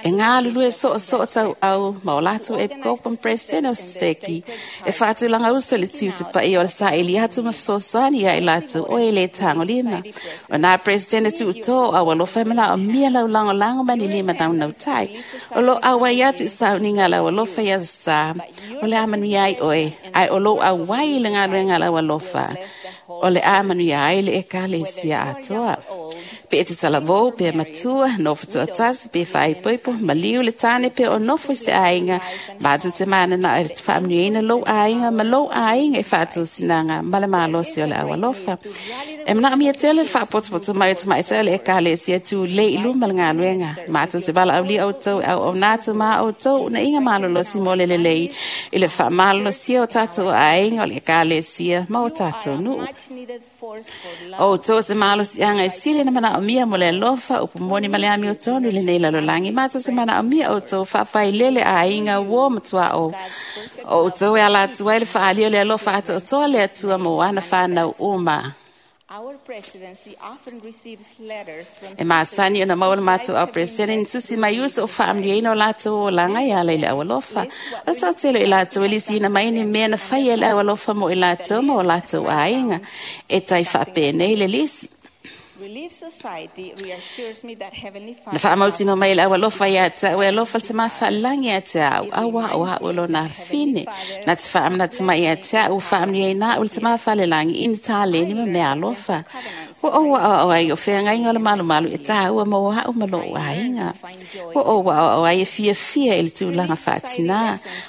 e galulue soosoo tauau ma o latou epikopo ma Peresetene o Seteki e faatulaga uso i le tiute paia o le saili atu ma fesoasoani ia i latou o e le tagolima. O nā Peresetene tuutō o Aualofa e manaomia lau lagolago ma ni lima naunautai. O loo auai atu i sauniga a le Aualofa i aso sa, o le a manuia ai oe, ae o lou auai i le galuega a le Aualofa, o le a manuia ai le Ekalesia atoa. Pe e te talavou, pe matua, nofo toatasi, pe faaipoipo, maliu le tane pe o nofo i se aiga, matou te mananao e faamanuiaina lou aiga ma lou aiga i faatosinaga ma le malosi o le aualofa. E manaomia tele le faapotopoto mai o tamaitai o le Ekalesia tulei i luma le galuega. Matou te valaaulia outou e auauna atu ma a outou unaiga malolosi mo le lelei i le faamalolosia o tatou aiga o le Ekalesia ma o tatou nuu. O outou se malosiaga e sili na manaʻomia mo le alofa upu moni ma le amiotonu i lenei lalolagi matou se manaʻomia outou faafailele aiga uō ma tuaʻo. O outou e ala atu ai le faaalia o le alofa atoatoa le Atua mo ana fanau uma. E masani ona maua le matou au peresetene ni tusi mai uso o faamanuiaina o latou olaga e ala i le aualofa. O le toatele o i latou e lisiina mai ni mea na faia e le aualofa mo i latou ma o latou aiga. E tai faapenei le lisi. Na faamautinoa mai e le aualofa ia te au e alofa le Tamā Faalelagi ia te au, auā o a'u e lona afine. Na te faamanatu mai ia te au ua faamanuiaina a'u e le Tamā Faalelagi i ni taleni ma mea alofa. Ua ou aʻoaʻo ai o feagaiga o le malumalu e tāua mo a'u ma lo'u aiga. Ua ou aʻoaʻo ai e fiafia i le tulaga faatinā.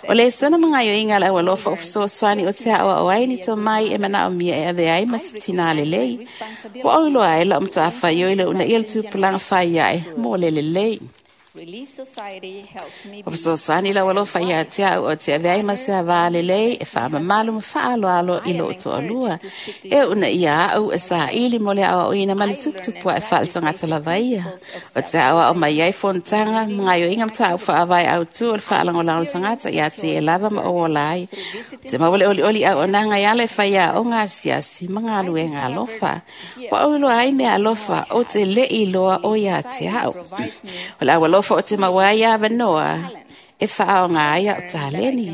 O le lesona ma gaoioiga a le aualofa o fesoasoani o te aʻoaʻo ai ni tomai e manaʻomia e avea ai ma se tinā lelei. Ua ou iloa ai la'u matafaioi le uunaia o le tupulaga fai aʻe mo le lelei. O fesoasoani le aualofa ia te au o te avea ai ma se avā lelei e faamamalu ma faaaloalo i lo'u toalua. E uunaia a'u e saili mo le aoaoina ma le tuputupu aʻe faaletagata lava ia. O te aoao mai ai fonotaga ma gaoioiga mataupu faavae autū o le faalagolago o le tagata ia te e lava ma ou ola ai. O te maua le olioli auaunaga e ala e faiaoga asiasi ma galuega alofa. Ua ou iloa ai mea alofa ou te leʻi iloa o ia te au. O le aualofa o te maua ai avanoa e faaoga ai a'u taleni.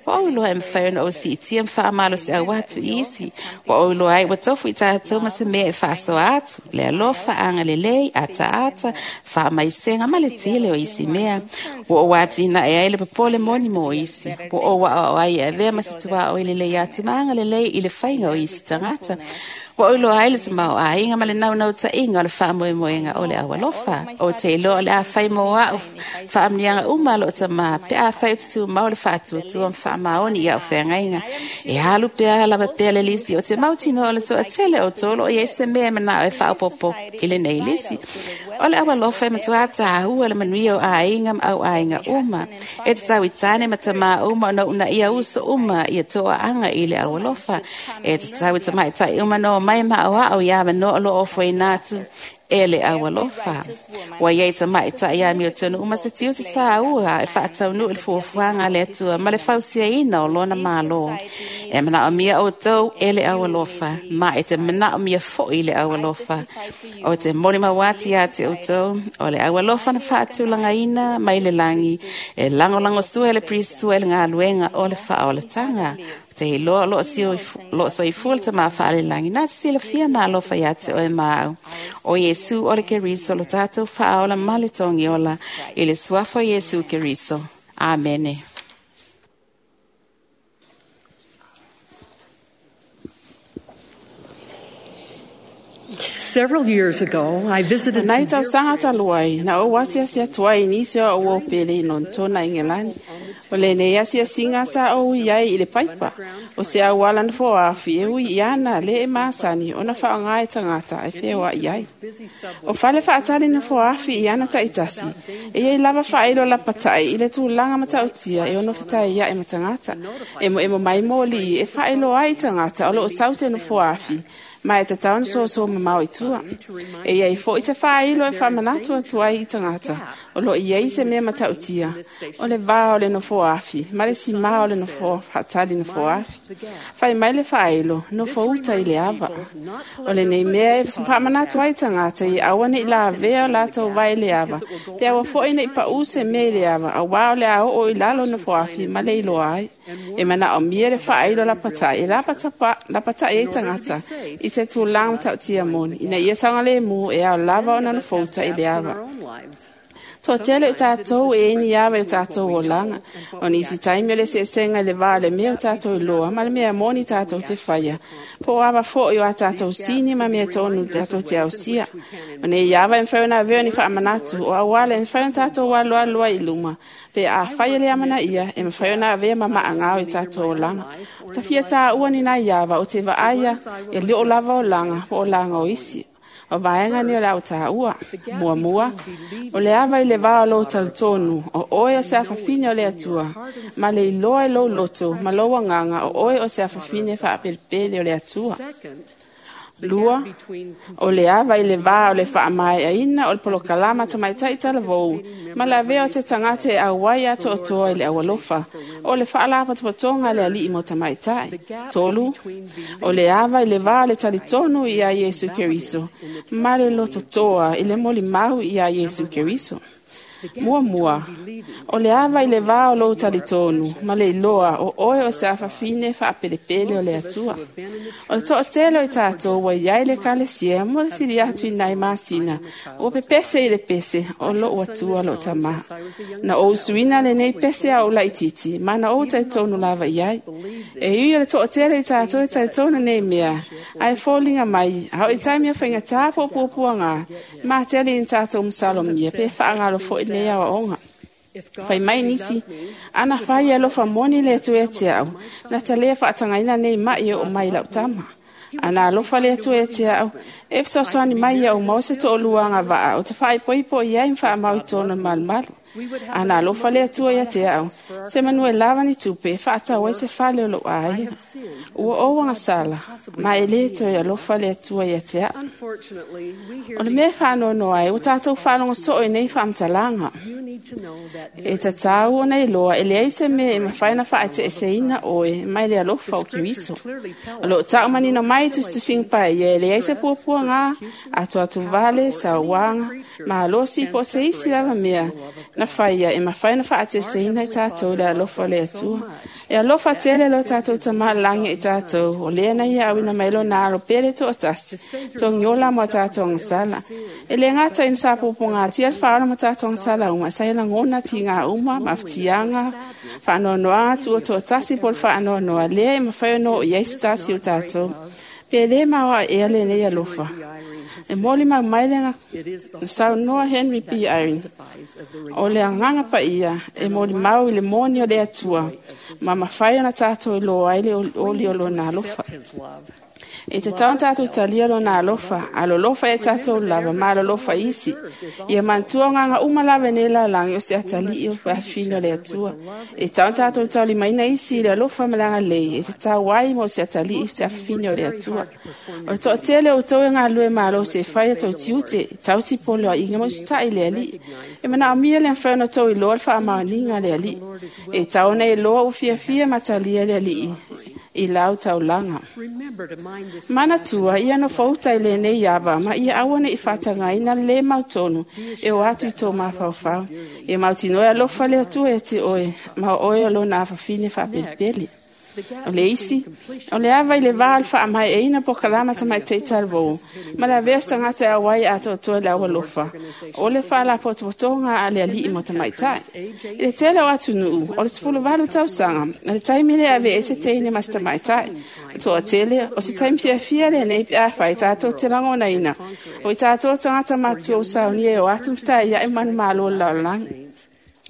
Ua ou iloa e mafai ona ou siitia ma faamalosiau atu i isi. Ua ou iloa ai ua tofu i tatou ma se mea e faasoa atu, le alofa, agalelei, ataata, faamaisega ma le tele o isi mea. Ua ou atinae ai le popole moni mo isi. Ua ou aʻoaʻo ai e avea ma se tuaoi lelei atu ma agalelei i le faiga o isi tagata. Ua ou iloa ai le tamaoaiga ma le naunautaiga o le faamoemoega o le aualofa. Ou te iloa o le a fai mo a'u faamanuiaga uma a loo Tamā pe afai ou te tumau le faatuatua ma faamaoni i a'u feagaiga. E alu pea lava pea le lisi o te mautinoa o le toatele o outou o loo i ai se mea e manaʻo e faaopoopo i lenei lisi. O le aualofa e matuā tāua le manuia o aiga ma auaiga uma. E tatau i tāne ma tamā uma ona uunaia uso uma ia toaaga i le aualofa. E tatau i tamaitai uma ona omai ma aʻoaʻo i avanoa o loo ofoina atu e le aualofa. Ua iai tamaitai amiotonu uma se tiute tāua e faataunuu i le fuafuaga a le Atua ma le fausiaina o lona Mālō. E manaʻomia outou e le aualofa, ma e te manaʻomia foʻi le aualofa. O te molimau atu iā te outou, o le aualofa na faatulagaina mai le lagi, e lagolagosua e le Pirisua i le galuega o le faaolataga. O te iloa o loo soifua le Tamā Faalelagi, na te silafia ma alofa iā te oe ma au. O Iesu o le Keriso lo tatou faaola ma le togiola, i le suafa o Iesu Keriso. Amene. Several years ago, I visited Nai some tau sanga talu ai, na ou asiasi atu ai i nisi o au pele i Lontona Ingelani. O lenei asiasiga sa ou i ai i le paipa. O se auala na foaafi e ui i ana le e masani ona faaaoga e tagata e feoaʻi ai. O fale faatali na foaafi i ana taitasi, e iai lava faailo lapataʻi i le tulaga matautia e ono fetaiaʻi ma tagata. E moemo mai mōliʻi e faailoa ai i tagata o loo sau se nofoafi, ma e tatau ona soso mamao i tua. E iai foʻi se faailo e faamanatu atu ai i tagata o loo i ai se mea matautia, o le vā o le nofoafi ma le simā o le nofo faatali nofoafi. Fai mai le faailo, nofo uta i le ava. O lenei mea e faamanatu ai i tagata ia aua neʻi lavea o latou vae i le ava, pe aua foʻi neʻi paʻū se mea i le ava, auā o le a oo i lalo nofoafi ma le iloa ai. E manaʻomia le faailo lapataʻi e lapataʻi ai tagata i se tulaga matautia moni, ina ia saogalēmū e ao lava ona nofouta i le ava. Toatele o tatou e ni ava i o tatou olaga. O nisi taimi o le eseesega i le vā o le mea o tatou iloa ma le mea moni tatou te faia. Po o ava foʻi o a tatou sini ma mea tonu tatou te ausia. O nei ava e mafai ona avea ni faamanatu o auala e mafai ona tatou aloalo ai i luma. Pe afai e le amanaia e mafai ona avea ma maagao i tatou olaga. O tafia tāua ni nai ava o te vaaia e leo lava olaga po o laga o isi. O vaega ni o le au tāua. Muamua, o le ava i le vā o lou talitonu, o oe o se afafine o le Atua, ma le iloa i lou loto, ma lou agaga, o oe o se afafine faapelepele o le Atua. Lua, o le ava i le vā o le faamaeaina o le polokalama tamaitai talavou ma le avea o se tagata e auai atoatoa i le aualofa o le faalapotopotoga a le alii mo tamaitai. Tolu, o le ava i le vā o le talitonu ia Iesu Keriso ma le lototoa i le molimau ia Iesu Keriso. Muamua, o le ava i le vā o lou talitonu ma le iloa o oe o se afafine faapelepele o le Atua. O le toatele o i tatou ua iai le ekalesia mo le sili atu i nai masina, ua pepese i le pese o lou Atua lou Tamā. Na ou suina lenei pese a ou laititi, ma na ou talitonu lava i ai. E ui o le toatele o i tatou e talitonu nei mea, ae foliga mai, a oo i taimi o faigata po o puapuaga, matele ina tatou masalomia pe faagalo foi nei aoaoga. Fai mai nisi, ana fai e alofa moni le Atua ia te au, na ta lē faatagaina nei mai e oo mai i lau tama. Ana alofa le Atua ia te au, e fesoasoani mai ia ou maua se tooluaga vaa o te faaipoipo i ai ma faamau i totonu o le malumalu. Ana alofa le Atua ia te au, se manu e lava ni tupe e faatau ai se fale o lou aiga. Ua ou agasala, ma e lē toe alofa le Atua ia te au. O le mea e faanoanoa ai, ua tatou faalogo soo i nei faamatalaga. E tatau ona iloa e leai se mea e mafai ona faaeteeseina oe mai le alofa o Keriso. O loo tau manino mai i tusitusiga paia e leai se puapuaga, atuatuvale, sauaga, malosi po o se isi lava mea na faia e mafai ona faaeteeseina i tatou i le alofa o le Atua. E alofa tele lo tatou Tamā i le lagi ia i tatou, o lea na ia auina mai lona alo pele toatasi, togiola mo a tatou agasala. E le gata ina sa puapuagatia le faaola mo tatou agasala uma, sa ia lagona tiga uma, mafatiaga, faanoanoaga, tuutoatasi po o le faanoanoa, lea e mafai ona oo i ai se tasi o tatou. Pe lē maoae ea lenei alofa. E molimau mai le saunoa Henry B. Eyring, o le agaga paia e molimau i le moni o le Atua, ma mafai ona tatou iloa ai le olioli o lona alofa. E tatau ona tatou talia lona alofa, alolofa ia tatou lava ma alolofa isi. Ia manatua o agaga uma lava i nei lalolagi o se atalii o afafine o le Atua. E tatau ona tatou taulimaina isi i le alofa ma le agalelei e tatau ai mo se atalii se afafine o le Atua. O le toatele o outou e galulue malosi e fai a tou tiute, tausi poloaiga ma usitai i le Alii. E manaomia le mafai ona outou iloa le faamaoniga a le Alii. E tatau ona iloa ua fiafia ma talia le Alii i lau taulaga. Manatua ia nofouta i lenei ava ma ia aua ne i faatagaina le lē mautonu e o atu i tō mafaufau. Ia mautinoa e alofa le Atua ia te oe, ma o oe o lona afafine faapelepele. O le isi, o le ava i le vā o le faamaeaina polokalama tamaitai talavou, ma le avea o se tagata e auai atoatoa i le aualofa, o le faalapotopotoga a le alii mo tamaitai. I le tele o atunuu, o le 18 tausaga, o le taimi lea e avea ai se teine ma se tamaitai. O le toatele, o se taimi fiafia lenei pe afai tatou te lagonaina, o i tatou tagata matutua ua saunia e o atu ma fetaiai ma manumalo o le lalolagi.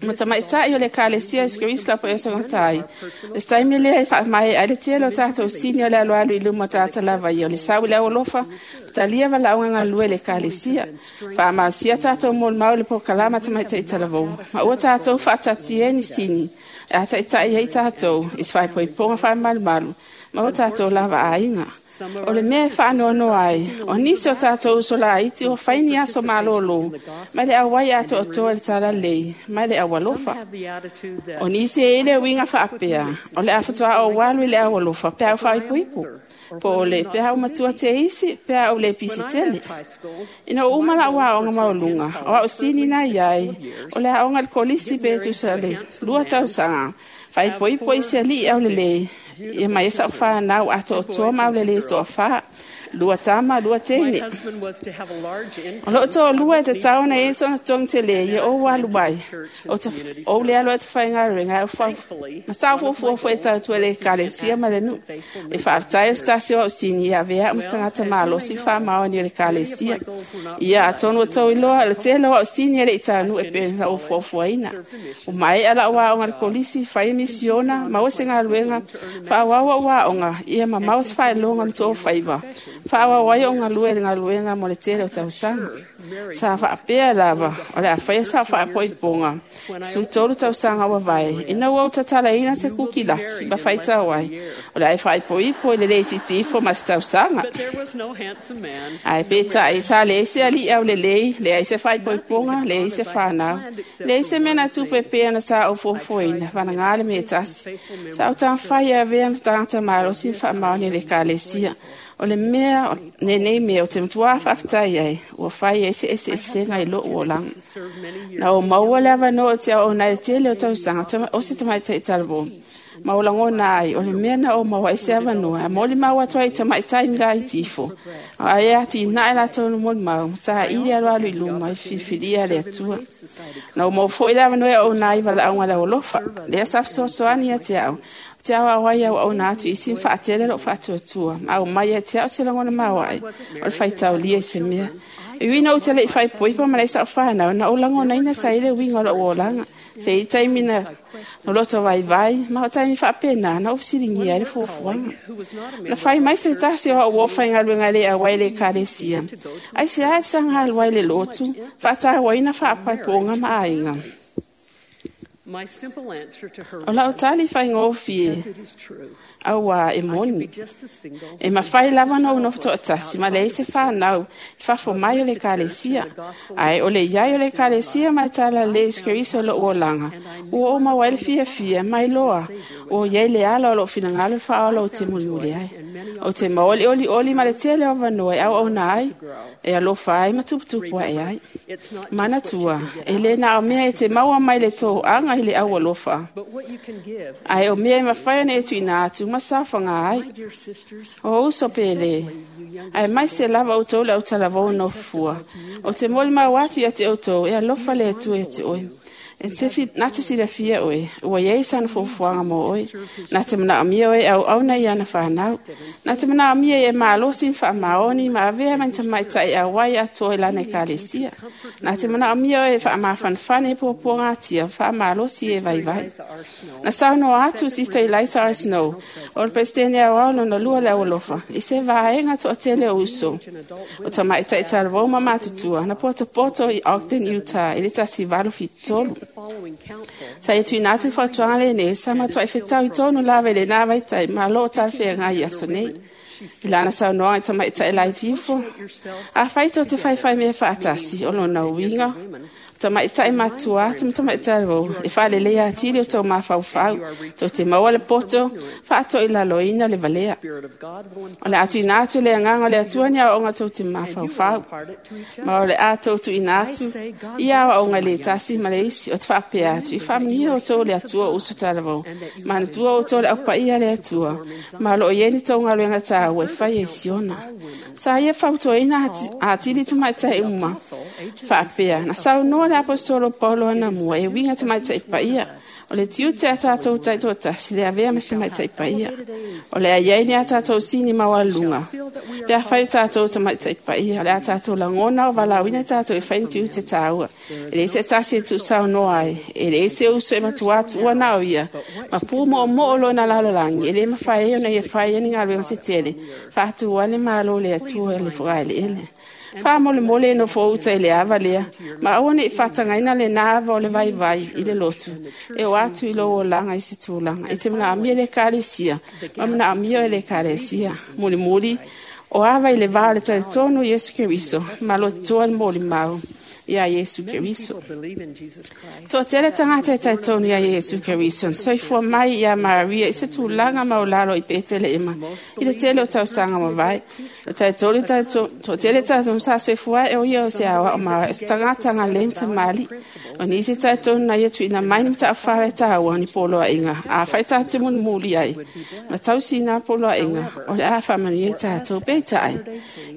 Ma tamaitai o le ekalesia o Iesu Keriso la po e ai. O se taimi lea e faamaea ai le tele o tatou sini o le alualu i luma o tagata lava ia o le sau i le aualofa, talia valaauga galulue i le ekalesia. Faamalosia tatou molimau i le polokalama tamaitai talavou. Ma ua tatou faataatitia ai ni sini e ataitai ai tatou i se faaipoipoga faamalumalu ma o tatou lava aiga. O le mea e faanoanoa ai, o nisi o tatou uso laiti ua fai ni aso malōlō mai le auai atoatoa i le talalelei mai le aualofa. O nisi e i ai le uiga faapea, o le a faatoa ou alu i le aualofa pe a ou faaipoipo, po o le pe a ou matua te isi, pe a ou le pisi tele. Ina ua uma lau aoga maualuga, o au sini na i ai, o le aoga i le kolisi pe tusa le 2 tausaga, faaipoipo i se alii aulelei, ia mai ai sa'u fanau atoatoa ma aulelei toafā, 2 tama, 2 teine. O loo toalua e tatau ona i ai sona totogi telē ia ou alu ai, ou le alu ai tafaigaluega ae ou ma sa fuafua foi e tautua i le ekalesia ma le nuu. E faafetai o se tasi o au sini ia avea a'u ma se tagata malosi faamaoni o le ekalesia. Ia atonu ua tou iloa o le tele o au sini e le i taunuu e pei ona sa ou fuafuaina. Ua maea la'u aoga i le kolisi, fai misiona, maua se galuega, faaauau a'u aoga, ia ma maua se faailoga o le toofaiva, faaauau ai o'u galue i le galuega mo le tele o tausaga. Sa faapea lava o le a faia sau faapoipoga 13 tausaga ua vae. Ina ua ou tatalaina se kukilaki ma faitau ai, o le a e faaipoipo i le lē itiiti ifo ma se tausaga. Ae peitai sa leai se ali'i aulelei, leai se faaipoipoga, leai se fanau, leai se mea na tupu e pei ona sa ou fuafuaina, valagā le mea e tasi. Sa ou taumafai e avea ma tagata malosi ma faamaoni o le Ekalesia. O le mea lenei mea ou te matuā faafetai ai, ua fai ai se eseesega i lo'u olaga. Na ou maua le avanoa ou te auauna ai i le tele o tausaga o se tamaitai talavou, ma ou lagona ai o le mea na ou maua ai se avanoa e molimau atu ai i tamaitai laiti ifo, ae atinae latou molimau ma saili alualu i luma i le filifilia a le Atua. Na ou maua foi le avanoa e auauna ai i valaauga a le aualofa, lea sa fesoasoani ia te au, ou te aoao ai e auauna atu i isi ma faatele lou faatuatua, ma aumai ia te au se lagona maoae o le faitaulia i se mea. E ui ina ou te le'i faaipoipo ma leai sa'u fanau, na ou lagonaina sa i le uiga o lo'u olaga. Se i taimi na loto vaivai, ma o taimi faapena na ou fesiligia ai le fuafuaga. Na fai mai se tasi o a'u uo faigaluega e le auai i le Ekalesia, aisea e te saga alu ai i le lotu, faatauaina faapaipoga ma aiga. O lau tali faigofie, auā e moni. E mafai lava ona ou nofo toatasi ma leai se fanau i fafo mai o le Ekalesia. Ae o le i ai o le Ekalesia ma le talalelei Iesu Keriso i lo'u olaga, ua ou maua ai le fiafia ma iloa ua i ai le ala o lo'u finagalo i le faaola ou te mulimuli ai. Ou te maua le olioli ma le tele o avanoa e auauna ai, e alofa ai ma tuputupu ae ai. Manatua, e lē na o mea e te maua mai le toaga i le aualofa, ae o mea e mafai ona e tuuina atu ma saofaga ai. O uso pele, ae mai se lava outou le autalavou nofofua. Ou te molimau atu ia te outou e alofa le Atua ia te oe. E na te silafia oe, ua iai sana fuafuaga mo oe. Na te manaomia oe e auauna i ana fanau. Na te manaomia ia e malosi ma faamaoni ma avea ma ni tamaitai auai atoa i lana Ekalesia. Na te manaomia oe e faamafanafana i puapuagatia, faamalosi e vaivai. Na saunoa atu Sister Eliza R. Snow, o le Peresetene Aoao lona lua le aualofa, i se vaega toatele o uso o tamaitai talavou ma matutua na potopoto i Ogden, Utah i le 1873. Sa ia tuuina atu le fautuaga lenei sa matuai fetau i tonu lava i lenā vaitai ma loo talafeagai i aso nei. I lana saunoaga i tamaitai laiti ifo, afai tou te faifai mea faatasi, o lona uiga, tamaitai matua atu ma tamaitai talavou e faaleleia atili o tou mafaufau, tou te maua le poto faatoilaloina le valea. O le a tuuina atu le agaga o le Atua ni aoaoga tou te mafaufau, ma o le a tou tuuina atu ia aoaoga i le tasi ma le isi. O te faapea atu i faamanuia outou le Atua o uso talavou, manatua outou le aupaia a le Atua, ma o loo i ai ni tou galuega taua e fai e Siona. Sa ia fautuaina atili tamaitai uma faapea, na saunoa le Aposetolo Paulo anamua e uiga tamaitai paia. O le tiute a tatou taitoatasi le avea ma se tamaitai paia. O le a i ai ni a tatou sini maualuluga pe afai o tatou tamaitai paia. O le a tatou lagona o valaauina tatou e fai ni tiute taua. E leai se tasi e tuusaunoa ai, e leai se uso e matuā tuua na o ia, ma pu moomoo lona lalolagi, e lē mafai ai ona ia fai ai ni galuega se tele, faatu ai le Malo o le Atua i le fogaeleele. Faamolemole e nofo uta i le ava lea, ma aua ne'i faatagaina lenā ava o le vaivai i le lotu, e oo atu i lou olaga i se tulaga. E te manaomia le Ekalesia, ma manaomia oe e le Ekalesia. Mulimuli, o ava i le vā o le talitonu o Iesu Keriso, ma lototoa le molimau iā Iesu Keriso. Toatele tagata e talitonu iā Iesu Keriso na soifua mai iā Maria i se tulaga maulalo i Petelehema i le tele o tausaga mavae. O talitonu toatele talitonu sa soifua ae o ia o se aoao maoae o se tagata galei ma tamalii. O nisi talitonu na ia tuuina mai ni mataufa e taua ni poloaiga afai tatou te mulimuli ai ma tausiga poloaiga o le a faamanuia i tatou. Peitai,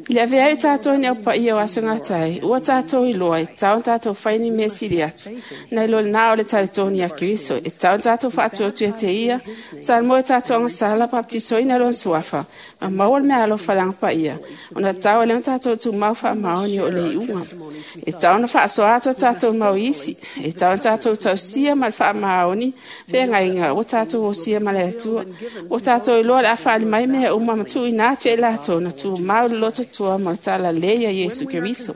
i le avea ai o tatou i ni aupaia o aso gatai, ua tatou iloa atoa, e tau tātou whaini mea siri atu. Nei lo nā o le taritoni a Keriso, e tau tātou whaatuatu e te ia, sa mo e tātou anga sala baptisoina lona suafa, ma maua le mea alofa le agaga paia, ona tau e lea ona tatou tumau faamaoni o le iuga. E tau ona faasoa atu a tatou mau isi, e tau ona tatou tausia ma le faamaoni feagaiga ua tatou osia ma le Atua. Ua tatou iloa le a faali mai mea uma ma tuuina atu e latou na tumau le lototoa ma le talalelei ia Iesu Keriso.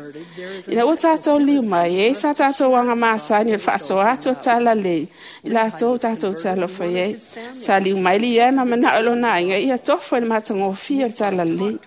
Ina ua tatou liu mai, e i ai sa tatou aga masani o le faasoa atu o le talalelei i latou tatou te alofa i ai. Sa liu mai le ia ma manao i lona aiga ia tofo i le matagofie o le talalelei.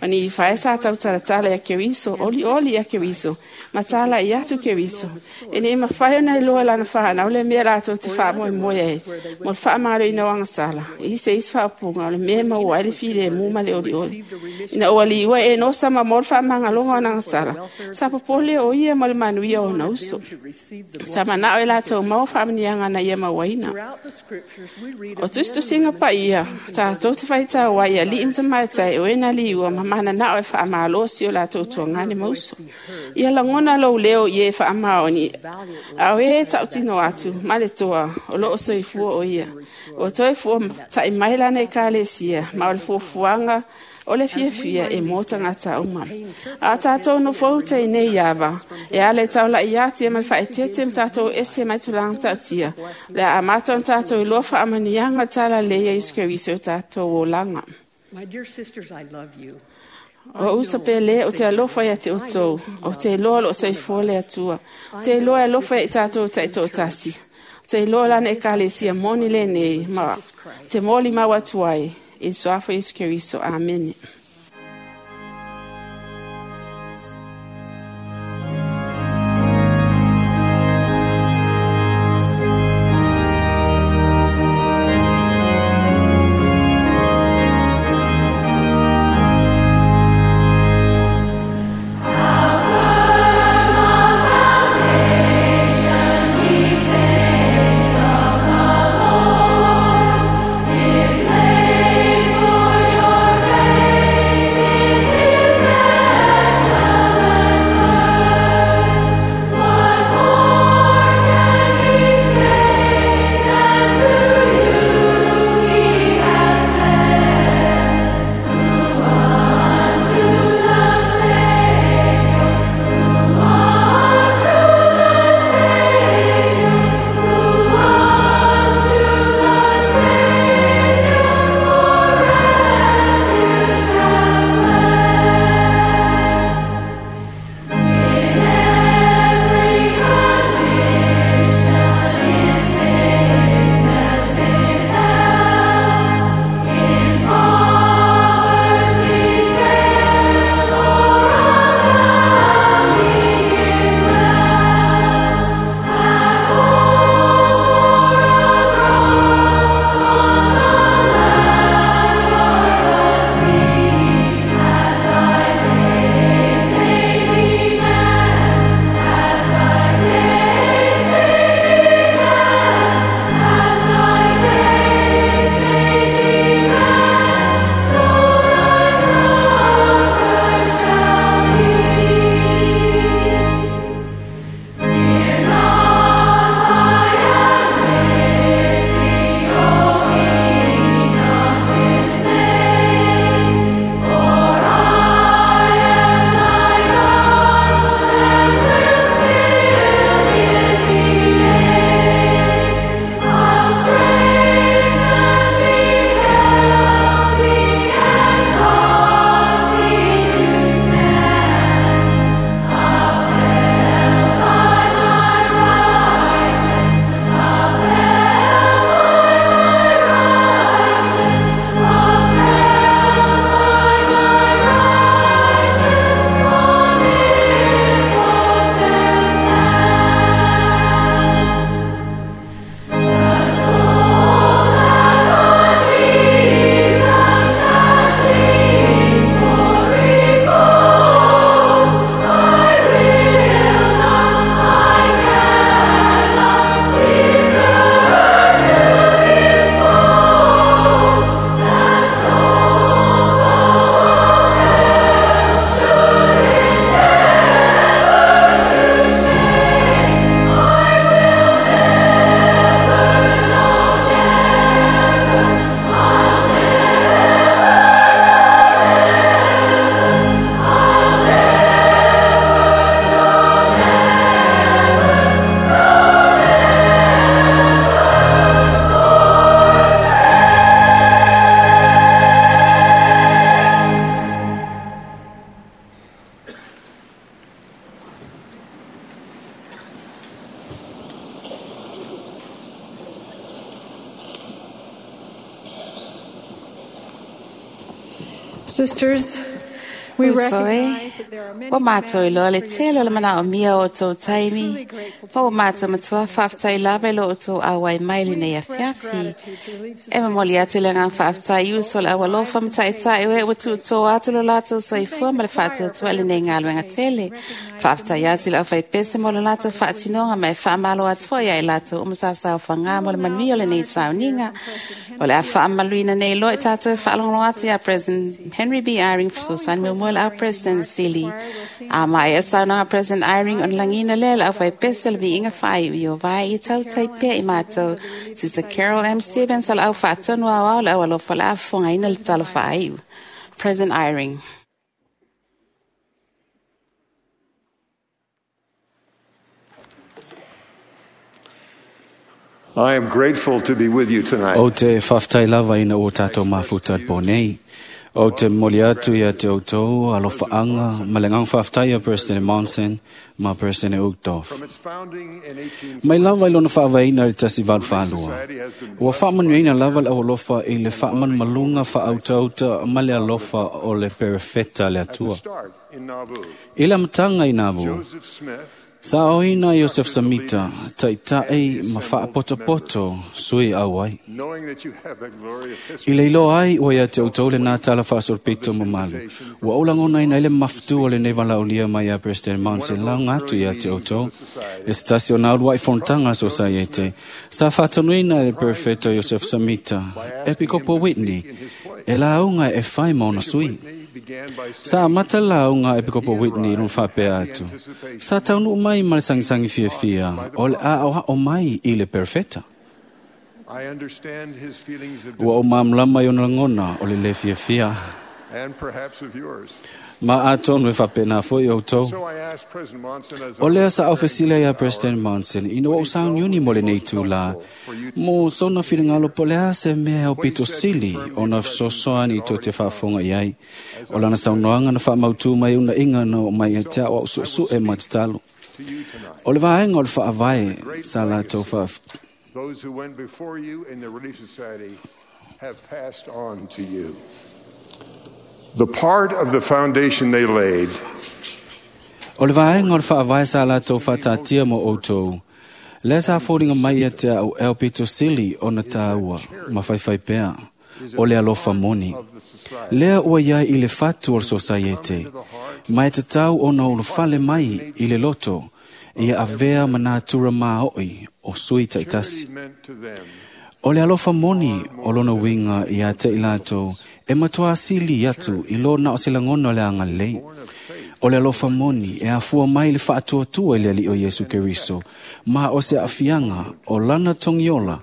Ma ni ifae sa tautalatala ia Keriso, olioli ia Keriso, ma talai atu Keriso. E nei mafai ona iloa e lana fanau le mea latou te faamoemoe ai, mo le faamaloina o agasala, i se isi faaupuga o le mea e maua ai le filemu ma le olioli. Ina ua liua e Enosa ma mo le faamagaloga o ana agasala, sa popole o ia mo le manuia o ona uso. Sa manao e latou maua faamanuiaga na ia mauaina. O tusitusiga paia, tatou te faitau ai i alii ma tamaitai o e na liua ma mananao e faamalosi o latou tuagane ma uso. Ia lagona lou leo i e faamaoni, a o e tautino atu ma le toa o loo soifua o ia. Ua toe fua ta'i mai lana ekalesia ma o le fuafuaga o le fiafia e mo tagata uma. A o tatou nofouta i nei ava, e ala i taula'i atu ia ma le faaeteete ma tatou ese mai tulaga matautia, o le a amata ona tatou iloa faamanuiaga o le talalelei a Iesu Keriso i o tatou olaga. My dear sisters, I love you. O uso pele o te alofa ia te outou, o te iloa lo o soifua le Atua, o te iloa e alofa ia i tatou taitoatasi, o te iloa lana ekalesia moni lenei, ma te molimau atu ai, i le suafa o Iesu Keriso. Amene. Is laid for your faith. Sisters, we Uso e, recognize that there are many ua mātou i loa le demands for tele your o le manao mia o tō taimi, Truly grateful to ma ua be mātou with matua you whaaftai lava i lo o tō awai mai le nei We express afiafi. gratitude to Relief E Society mamoli atu le ngā whaaftai uso le awalofa mataitai ue ua tūtō atu lo lātou soifua ma le whaatuatua le nei ngā luenga tele. Whaaftai atu le awhai pese mo le lātou whaatinoga ma e whaamalo atu foi ai lātou umasasau whangā mo le manuia o le nei sauniga. O le a whaamaluina nei loa i tātou e whaalongolo atu ia President Henry B. Eyring fesoasoani muamua le au President Sili. A mai e saunoaga President Eyring ona lagina lea le auwhai pese le viiga whaaiu i o vai i tautai pea i mātou. Sister Carol M. Stevens o le au whaatonu au au le au alofa le afofogaina le talo whaaiu. President Eyring. I am grateful to be with you tonight. O te whawhtai lava ina o tātou mafuta po nei. O te moli atu ia te outou alofaanga ma le ngang whawhtai a President Monson ma President Uchtdorf. From its founding in 18 Mai lava i lona whaavaina i tasi valu whaalua. Ua whaamanuina lava le alofa i le whaamanumalunga whaautauta ma le alofa o le perefeta le at the atua. start in Nauvoo, I la matanga i Nauvoo, Joseph Smith sa oina Joseph Samita, taitai ma whaapotopoto sui au ai. knowing that you have that glorious I history le iloa ai ua ia te outou le nā tala whaasolopito mamalu. Ua oulagona ina i le mafutu o le nei valaaulia mai ia President Monson laga atu ia te outou. E se tasi o nā uluai fonotaga sosaiete. Sa faatonuina e le Perfeto Joseph Samita, Epikopo Whitney, e lauga e fai ma ona sui. Whitney began by Sa saying amata lauga Epikopo Whitney lona faapea atu. Sa taunuu mai ma le sagisagi fiafia o le aoao mai i le Perfeta. I understand his feelings of Ua o mamlama i ona lagona o le lē fiafia. and perhaps of yours. Ma atonu e faapena foi outou. So I asked President Monson as O lea sa aufesila ia President Monson ina ua usauniuni mo lenei tūlā. Mo sona finagalo po le a se mea o pito sili ona fesoasoani i tō te faafofoga i ai. O lana saunoaga na faamautū mai una inga na o mai e te ao au suesue ma tatalo. to you tonight, O le vaega o le faavae sa latou faa those who went before you in the Relief Society have passed on to you. The part of the foundation they laid O le vaega o le faavae sa latou faataatia mo outou. Lea sa foliga mai ia te au e aupito sili ona tāua ma faifai pea o le alofa moni. of the society Lea ua iai i le fatu o le sosaiete, ma e tatau ona ulufale mai i le loto, ia avea ma nātura maoi o sui taitasi. charity meant to them O le alofa moni o lona uiga ia te i latou, e matua asili atu i lo na o se lagona o le agalelei. O le alofa moni e afua mai le faatuatua i le alii o Iesu Keriso, ma o se aafiaga o lana togiola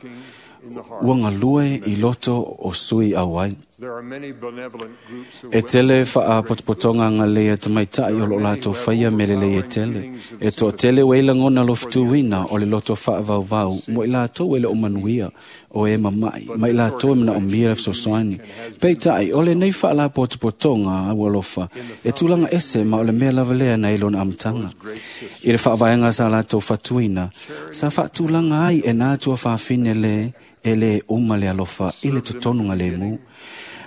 ua galue i loto o sui auai. There are many benevolent groups of E tele faapotopotoga agalelei a tamaitai o loo latou faia me lelei e tele. E toatele ua i lagona lofutuina o le loto faavauvau mo i latou e le o manuia o e mama'i ma i latou e manaomia le fesoasoani. Peitai, o lenei faalapotopotoga au alofa e tulaga ese ma o le mea lava lea na i lona amataga. I le faavaega sa latou fatuina, sa faatulaga ai e nā atua fafine lē e lē uma le alofa i le totonuga lemu.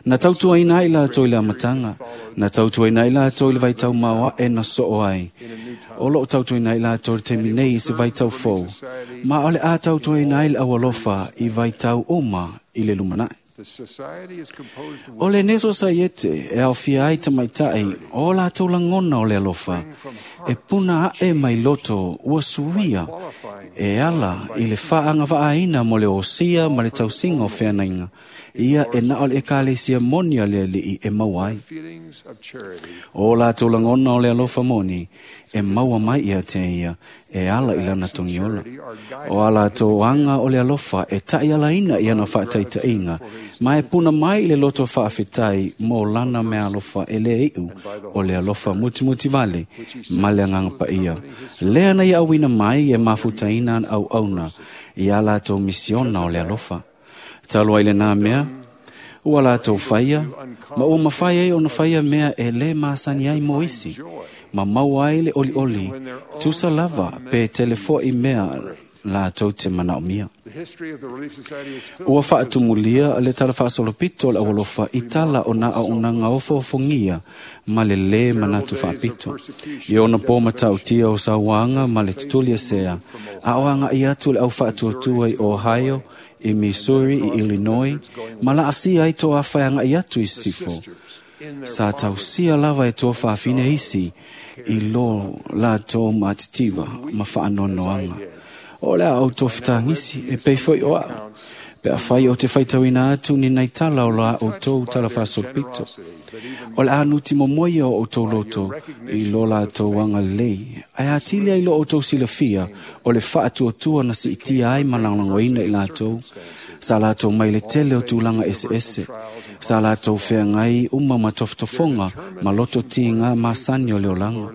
Na tautuaina ai latou i le amataga, na tautuaina ai latou i le vaitau maoae na soo ai. O loo tautuaina ai latou i le taimi nei i se vaitau fou, ma o le a tautuaina ai le aualofa i vaitau uma i le lumanai. The society is composed of O le nei sosaiete e aofia ai tamaitai o latou lagona o le alofa, e puna ae mai loto ua suia e ala i le faagavaaina mo le osia ma le tausiga o feanaiga. Ia e na o le ekalesia moni a le alii e maua ai. feelings of charity O latou lagona o le alofa moni e maua mai ia te ia e ala i lana togiola. O a latou aga o le alofa e taʻialaina i ana faataitaiga, ma e puna mai i le loto faafetai mo lana mea alofa e lē iʻu o le alofa mutimuti vale ma le agaga paia. Lea na ia auina mai e mafutaina ana auauna i a latou misiona o le alofa. Talu ai lenā mea, ua latou faia, ma ua mafai ai ona faia mea e lē masani ai mo isi, ma maua ai le olioli, tusa lava pe tele fo'i mea latou te manaomia. Ua faatumulia le tala faasolopito o le aualofa i tala o na auaunaga ofoofogia ma le lē manatu faapito. I ona po matautia o sauaga ma le tutuliasea, a o agaʻi atu le au faatuatua i Ohio, i Missouri, i Illinois, ma laasia ai toafa e agaʻi atu i sisifo. Sa tausia lava e tuafafine isi i lo latou matitiva ma faanoanoaga. O le a outou fetagisi e pei foi o a'u, pe afai o te faitauina atu ni nai tala o la outou tala faasolopito. O le a nuti momoia o outou loto i lo latou agalelei, ae atili ai lo outou silafia o le faatuatua na siitia ai ma lagolagoina i latou, sa latou mai le tele o tulaga eseese, sa latou feagai uma ma tofotofoga ma loto tiga masani o le olaga.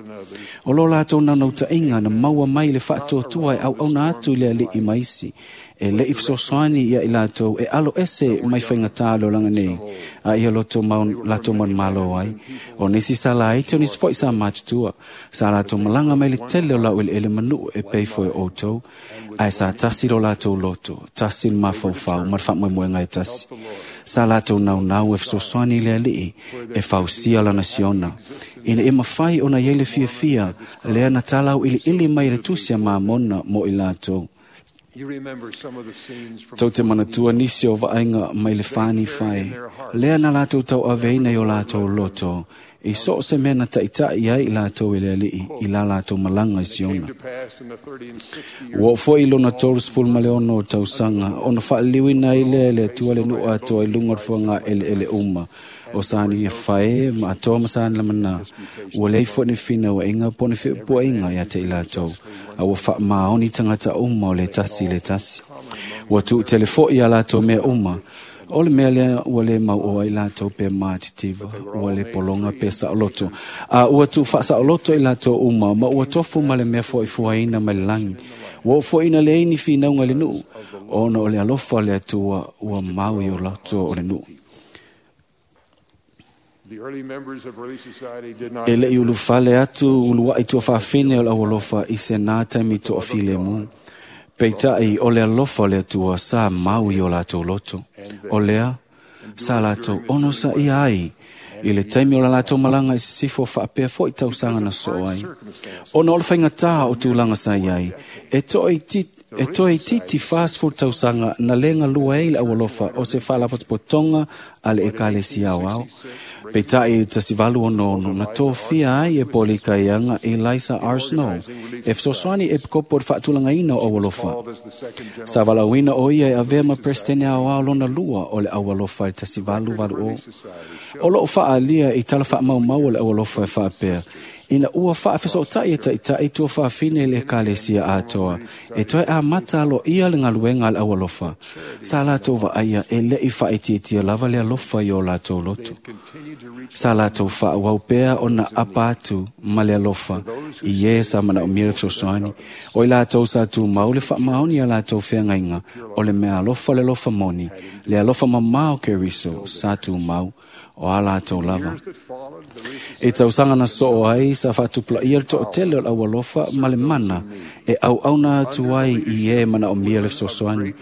O lo latou naunautaiga na maua mai le faatuatua e auauna atu i le alii ma isi, e leʻi fesoasoani ia i latou e alo ese mai faigatā le olaga nei, a ia latou manumalo ai. O nisi sa laiti, o nisi foi sa matutua, sa latou malaga mai le tele o laueleele ma nuu e pei foi o outou, ae sa tasi lo latou loto, tasi le mafaufau ma le faamoemoega e tasi. Sa latou naunau e fesoasoani i le alii e fausia lana siona, ina ia mafai ona iai le fiafia lea na talauiliili mai e le tusi a Mamona mo i latou. Tou te manatua nisi o vaaiga mai le fani fai, lea na latou tauaveina i o latou loto, i so o se mea na taʻitaʻi ai i latou e le alii i la latou malaga i Siona. Ua oo foi i lona 36 o tausaga, ona faaliliuina ai lea e le Atua le nuu atoa i luga o le fuagaeleele uma, o sani fae ma atoa ma sani lamanā. Ua leai foi ni finauaiga po o ni feʻupuaiga ia te i latou, a ua faamaoni tagata uma o le tasi i le tasi. Ua tuutele foi ia latou mea uma, o le mea lea ua lē mauoa ai latou pe matitiva, ua lē pologa pe saoloto, a ua tuufaasaoloto i latou uma ma ua tofu ma le mea foaifuaina mai le lagi. Ua oo foi ina leai ni finauga i le nuu, ona o le alofa o le Atua ua mau i o loto o le nuu. E leʻi ulufale atu uluaʻi tuafafine o le aualofa i se nā taimi toafilemu. Peitai o le alofa o le Atua sa mau i o latou loto. O lea, sa latou onosaia ai i le taimi o la latou malaga i sisifo faapea foi tausaga na soo ai. Ona o le faigatā o tulaga sa i ai, e toeitiiti 40 tausaga na lē galua ai le aualofa o se faalapotopotoga a le ekalesia aoao. Peitai i le 1866 na tofia ai e Polikaiaga Eliza R. Snow e fesoasoani e epikopo i le faatulagaina o aualofa. Sa valaauina o ia e avea ma Peresetene aoao lona lua o le aualofa i le 1880. O loo faaalia i tala faamaumau o le aualofa e faapea, ina ua faafesootai e taʻitaʻi tuafafine i le ekalesia atoa, e toe amata aloaia le galuega a le aualofa. Sa latou vaaia e leʻi faaitiitia lava le alofa i o latou loto. Sa latou faaauau pea ona apa atu ma le alofa i e sa manaomia le fesoasoani. O i latou sa tumau le faamaoni a latou feagaiga o le mea alofa le alofa moni, le alofa mamao o Keriso sa tumau o a latou lava. E tausaga na soo ai sa faatupulaia le toatele o le aualofa ma le mana e auauna atu ai i e manaomia le fesoasoani.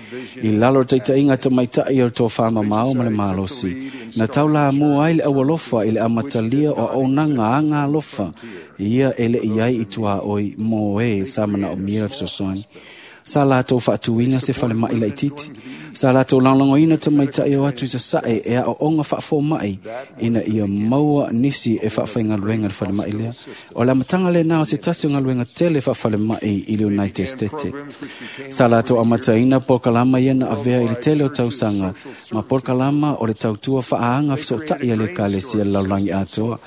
I lalo o le taitaiga tamaitaʻi o le tofamamao ma le malosi, na taulamua ai le aualofa i le amatalia o auaunaga aga alofa ia e leʻi ai i tuaoi mo e sa manaomia le fesoasoani. Sa latou faatuina se falemaʻi laitiiti. Sa latou lagolagoina tamaitaʻi o atu i sasae e aoaoga faafomaʻi ina ia maua nisi e faafaigaluega i le falemaʻi lea. O le amataga lenā o se tasi o galuega tele faafalemaʻi i le United States. Sa latou amataina polokalama ia na avea i le tele o tausaga ma polokalama o le tautua faaaga fesootai a le ekalesia i le lalolagi atoa.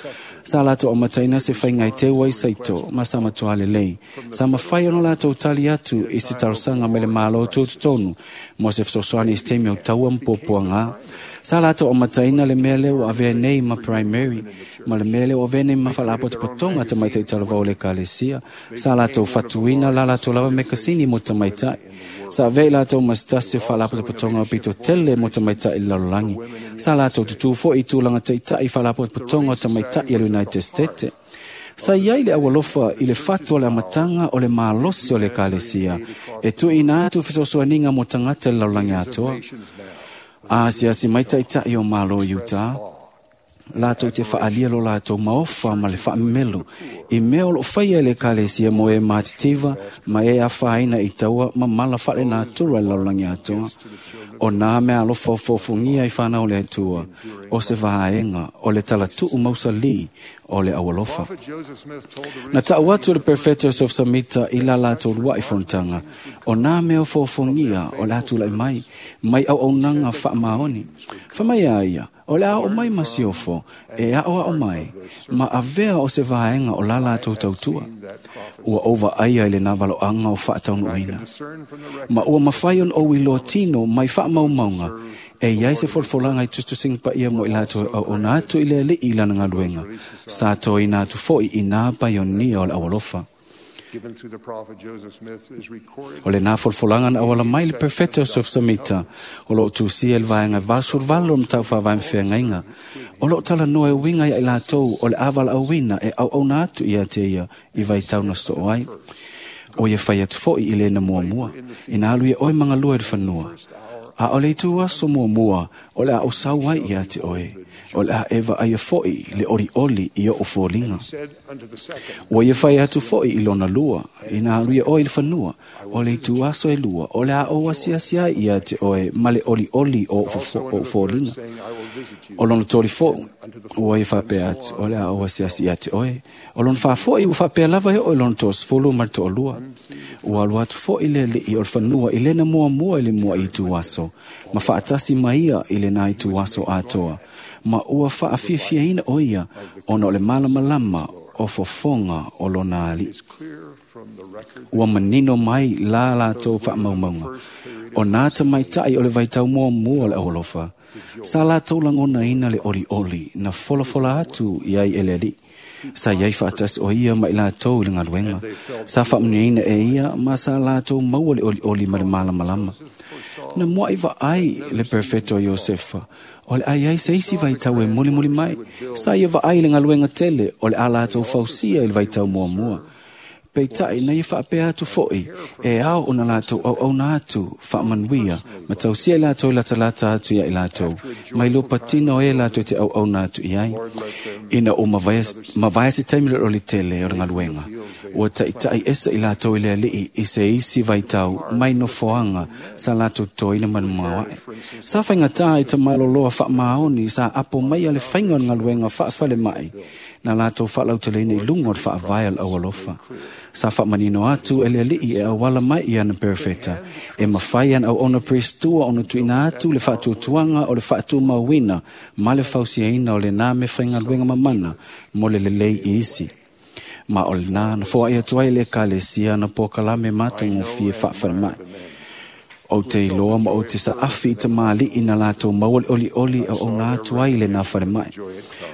Sa latou amataina se faiga e teu ai saito ma sa matuā lelei. Sa mafai ona latou tali atu i se talosaga mai le Malo tutotonu mo se fesoasoani i se taimi o taua ma puapuagā. Sa latou amataina le mea lea ua avea nei ma primary, ma le mea lea ua avea nei ma faalapotopotoga tamaitai talavou o le ekalesia. Sa latou fatuina la latou lava mekasini mo tamaitai. Sa avea i latou ma se tasi o faalapotopotoga pito tele mo tamaitai i le lalolagi. Sa latou tutū foi i tulaga taʻitaʻi faalapotopotoga o tamaitai a le United States. Sa iai le aualofa i le fatu o le amataga o le malosi o le ekalesia e tuuina atu fesoasoaniga mo tagata i le lalolagi atoa. Asiasi mai taʻitaʻi o Malo i Utā, latou te faaalia lo latou maofa ma le faamemelo i mea o loo faia e le ekalesia mo e matitiva ma e afaina i taua ma mala faalenatura i le lalolagi atoa. O nā mea alofa ofoofogia i fanau o le Atua, o se vaega o le talatuu mausalī o le aualofa. Na taʻu atu le Perfeto Joseph Samita i la latou luaʻi fonotaga, o nā mea ofoofogia o le atulaʻi mai, mai auaunaga faamaoni. Faamai a ia, o le a oo mai ma siofo, e aʻoaʻo mai, ma avea o se vaega o la latou tautua. Ua ou vaaia i lenā valoaga o faataunuuina. Ma ua mafai ona ou iloa tino mai faamaumauga, e iai se folafolaga i tusitusiga paia mo i latou e auauna atu i le Alii i lana galuega, sa toina atu foʻi i nā paionia o le aualofa. O lenā folafolaga na auala mai le Perfeto Joseph Samita, o loo tusia i le vaega 88 o le Mataupu Faavae ma Feagaiga. O loo talanoa e uiga ia i latou o le avalaauina e auauna atu ia te ia i vaitau na soo ai. O ia fai atu foʻi i lena muamua, ina alu ia oe magalua i le fanua. A o le itu aso muamua, o le a ou sau ai ia te oe. O le a e vaaia foʻi le olioli i oʻu foliga. Ua ia fai atu foʻi i lona lua, ina alu ia oe i le fanua. O le itu aso e lua, o le a ou asiasi ai ia te oe ma le olioli o oʻu foliga. O lona toli foʻi, ua ia faapea atu, o le a ou asiasi ia te oe. O lona faafoʻi, ua faapea lava e oo i lona 30 ma le 32. Ua alu atu foʻi le alii o le fanua i lena muamua i le mua i itu aso, ma faatasi ma ia i lenā itu aso atoa, ma ua faafiafiaina o ia ona o le malamalama o fofoga o lona alii. Ua manino mai la latou faamaumauga, o nā tamaitaʻi o le vaitau muamua o le aualofa, sa latou lagonaina le olioli na folafola atu i ai e le alii. Sa iai faatasi o ia ma i latou i le galuega. Sa faamanuiaina e ia ma sa latou maua le olioli ma le malamalama. Na muaʻi vaai le Perfeto Iosefa, o le a iai se isi vaitau e mulimuli mai. Sa ia vaai le galuega tele o le a latou fausia i le vaitau muamua. Peitaʻi na ia faapea atu foʻi, e ao ona latou auauna atu faamanuia ma tausia i latou i latalata atu ia i latou, mai lua patino o e latou te auauna atu i ai. Ina ua mavae se taimi le oli tele o le galuega, ua taʻitaʻi esa i latou i le alii i se isi vaitau mai nofoaga sa latou totoina ma le maoaʻe. Sa faigatā i tamaloloa faamaoni sa apo mai a le faiga o le galuega faafalemai na latou faalauteleina i luga o le faavae o le aualofa. Sa faamanino atu e le alii e auala mai i ana perefeta, e mafai ana auauna prestua ona tuuina atu le faatuatuaga o le faatumauina ma le fausiaina o lenā mea faigaluega mamana mo le lelei i isi. Ma o lenā na foaʻi atu ai le ekalesia na polokalame matagofie faafalemai. Ou te iloa ma ou te saafi i tamalii na latou maua le olioli auauna atu ai i lenā falemai.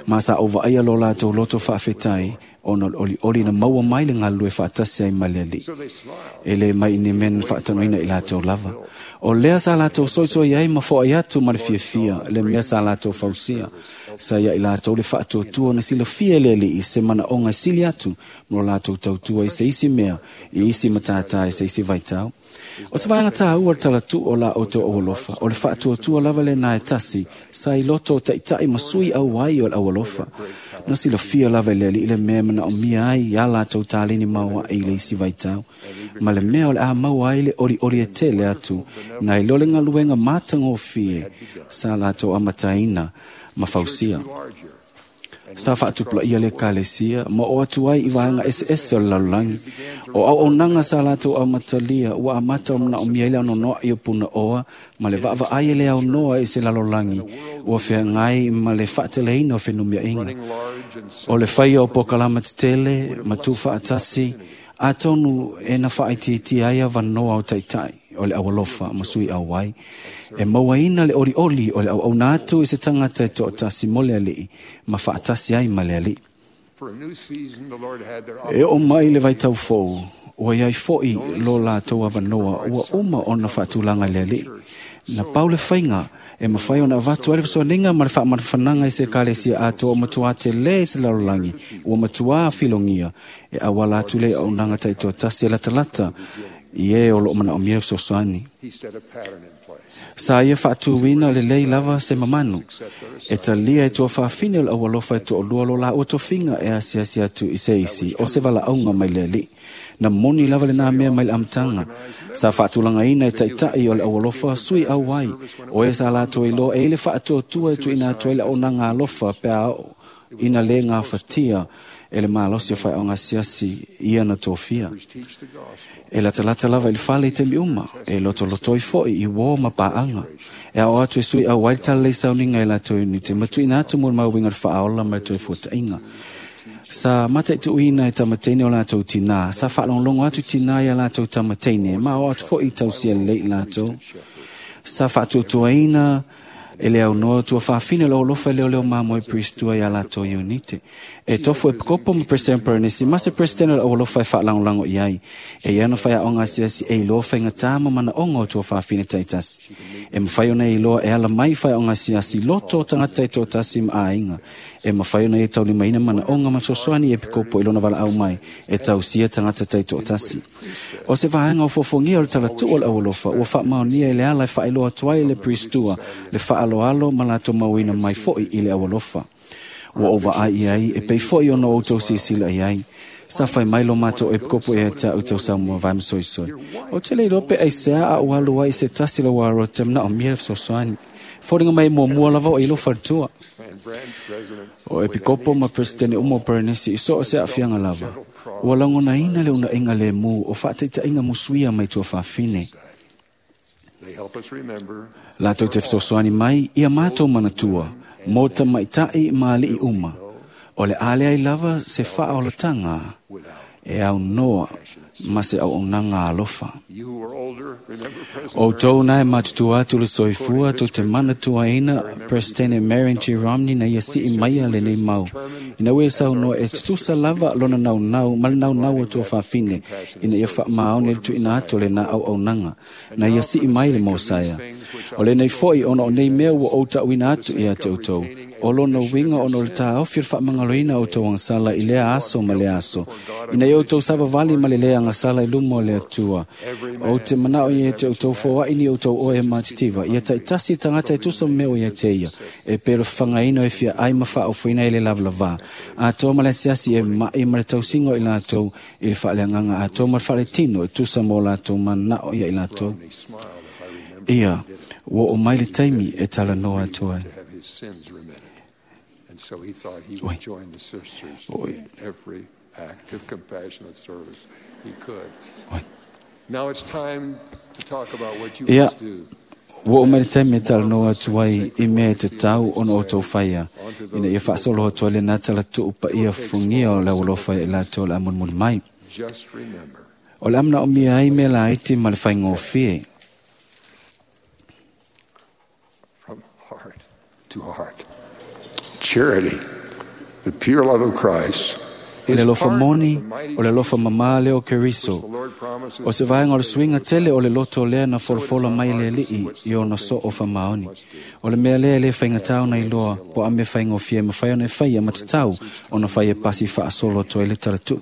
Ma sa ou vaaia lo latou loto faafetai ona o le olioli na maua mai le galulue faatasi ai ma le alii. E lē mai i ni mea na faatanoina i latou lava. O lea sa latou soisoi ai ma foai atu ma le fiafia le mea sa latou fausia. Sa ia i latou le faatuatua na silafia e le alii se manaoga e sili atu ma lo latou tautua i se isi mea, i isi matātā i se isi vaitau. O se vaega tāua le talatuu o la outou aualofa, o le faatuatua lava lenā e tasi, sa i loto o taʻitaʻi ma sui auai o le aualofa. Na silafia lava e le alii le mea e manaomia ai ia latou taleni maoaʻe i le isi vaitau, ma le mea o le a maua ai le olioli e tele atu, na i lo le galuega matagofie sa latou amataina ma fausia. Sa faatupulaia le ekalesia ma oo atu ai i vaega eseese o le lalolagi. O auaunaga sa latou amatalia ua amata o manaomia ai le anoanoaʻi o punaoa ma le vaavaai e le aunoa i se lalolagi ua feagai ma le faateleina o fenumiaiga. O le faia o polokalama tetele ma tuufaatasi, atonu e na faaitiitia ai avanoa o taʻitaʻi o le aualofa ma sui auai. E mauaina le olioli o le auauna atu i se tagata e toatasi mo le alii ma faatasi ai ma le alii. E oo mai le vaitau fou, ua iai foʻi lo latou avanoa ua uma ona faatulaga i le alii. Na pau le faiga e mafai ona avatu ai le fesoasoaniga ma le faamanafanaga i se ekalesia atoa ua matuā telē i se lalolagi ua matuā filogia e auala atu le auaunaga taitoatasi e latalata i e o loo manaomia le fesoasoani. Sa ia faatuina lelei lava se mamanu e talia e tuafafine o le aualofa e toalua lo laua tofiga e asiasi atu i se isi o se valaauga mai le alii. Na moni lava lenā mea mai le amataga sa faatulagaina e taʻitaʻi o le aualofa sui auai o e sa latou iloa e i le faatuatua e tuuina atu ai le auaunaga alofa pe a oo ina lē gafatia e le malosi o faeaoga asiasi ia na tofia. E latalata lava i le fale i taimi uma, e lotolotoi foʻi i uō ma paaga. E ao atu e sui auai le talalei sauniga e latou iunite ma tuuina atu mo le mauiga o le faaola ma le toe fuataʻiga. Sa mataituina e tamateine o latou tinā, sa faalogologo atu tinā ia latou tamateine, ma ao atu foʻi i tausia lelei i latou. Sa faatuatuaina e le aunoa tuafafine o le aualofa e leoleo mamoe Priestua iā latou iunite. E tofu e pikopo ma President Paranesi ma se President o le aualofa e faalagolago i ai. E ia na faiaoga asiasi e iloa faigata ma manaoga o tuafafine taitasi. E mafai ona e iloa e ala mai faiaoga asiasi loto o tagata taitoatasi ma aiga. E mafai ona ia taulimaina manaoga ma fesoasoani e pikopo i lona valaau mai e tausia tagata taitoatasi. O se vaega o fofogia o le talatuu o le aualofa ua faamaonia i le ala e faailoa atu ai le Priestua le faaloalo ma latou mauina mai foʻi i le aualofa. Ua ou vaai i ai e pei foʻi ona outou silasila i ai. Sa fai mai lo matou epikopo ia te au tausaga vae ma soisoi. Ou te le iloa pe aisea a ou alu ai i se tasi o lau aro te manaomia le fesoasoani. Foliga mai muamua lava o i lou faletua. O epikopo ma presidente uma o Paranesi i so o se aafiaga lava. Ua lagonaina le unaʻiga lemu o faataitaʻiga musuia mai tuafafine. Latou te fesoasoani mai ia matou manatua mo tamaitaʻi ma alii uma. O le a leai lava se faaolataga e aunoa ma se auaunaga alofa. Outou na e matutua atu le soifua tou te manatuaina Presidente Marion G. Romney na ia sii maia lenei mau. Ina ua ia saunoa e tutusa lava lona naunau ma le naunau o tuafafine ina ia faamaoni le tuuina atu o lenā auaunaga na ia sii mai le mosaea. O lenei foʻi ona o nei mea ua ou taʻuina atu ia te outou. O lona uiga ona o le taofi o le faamagaloina o outou agasala i lea aso ma lea aso. Ina ia outou savavali ma le lē agasala i luma o le Atua. Ou te manao ia te outou foaʻi ni outou oe matitiva. Ia taitasi tagata e tusa ma mea o ia te ia. E pe le fafagaina e fia ai ma faaofoina i le lavalavā. Atoa ma le asiasi e maʻi ma le tausiga o i latou i le faaleagaga atoa ma le faaletino e tusa mo latou manao ia i latou. Ia, ua oo mai le taimi e talanoa atu ai. And so he thought he would join the sisters in every act of compassionate service he could. Now it's time to talk about what you Ia, must do. ua oo mai le taimi e talanoa atu ai i mea e tatau ona outou faia, ina ia faasolo atu ai lenā talatuu paia fugia o le aualofa i latou o le a mulimuli mai. Just remember, O le a manaomia ai mea laiti ma le faigofie. from heart to heart, charity, the pure love of Christ, O le is alofa part of moni, the mighty o le alofa mamā lea o Keriso. the Lord promises O se vaega o le suiga tele o le loto lea na folafola mai le alii i ona soo faamaoni. O le mea lea e le faigatā ona iloa po o a mea faigofie e mafai ona e faia ma tatau ona fai e pasi faasolo atu ai le talatuu.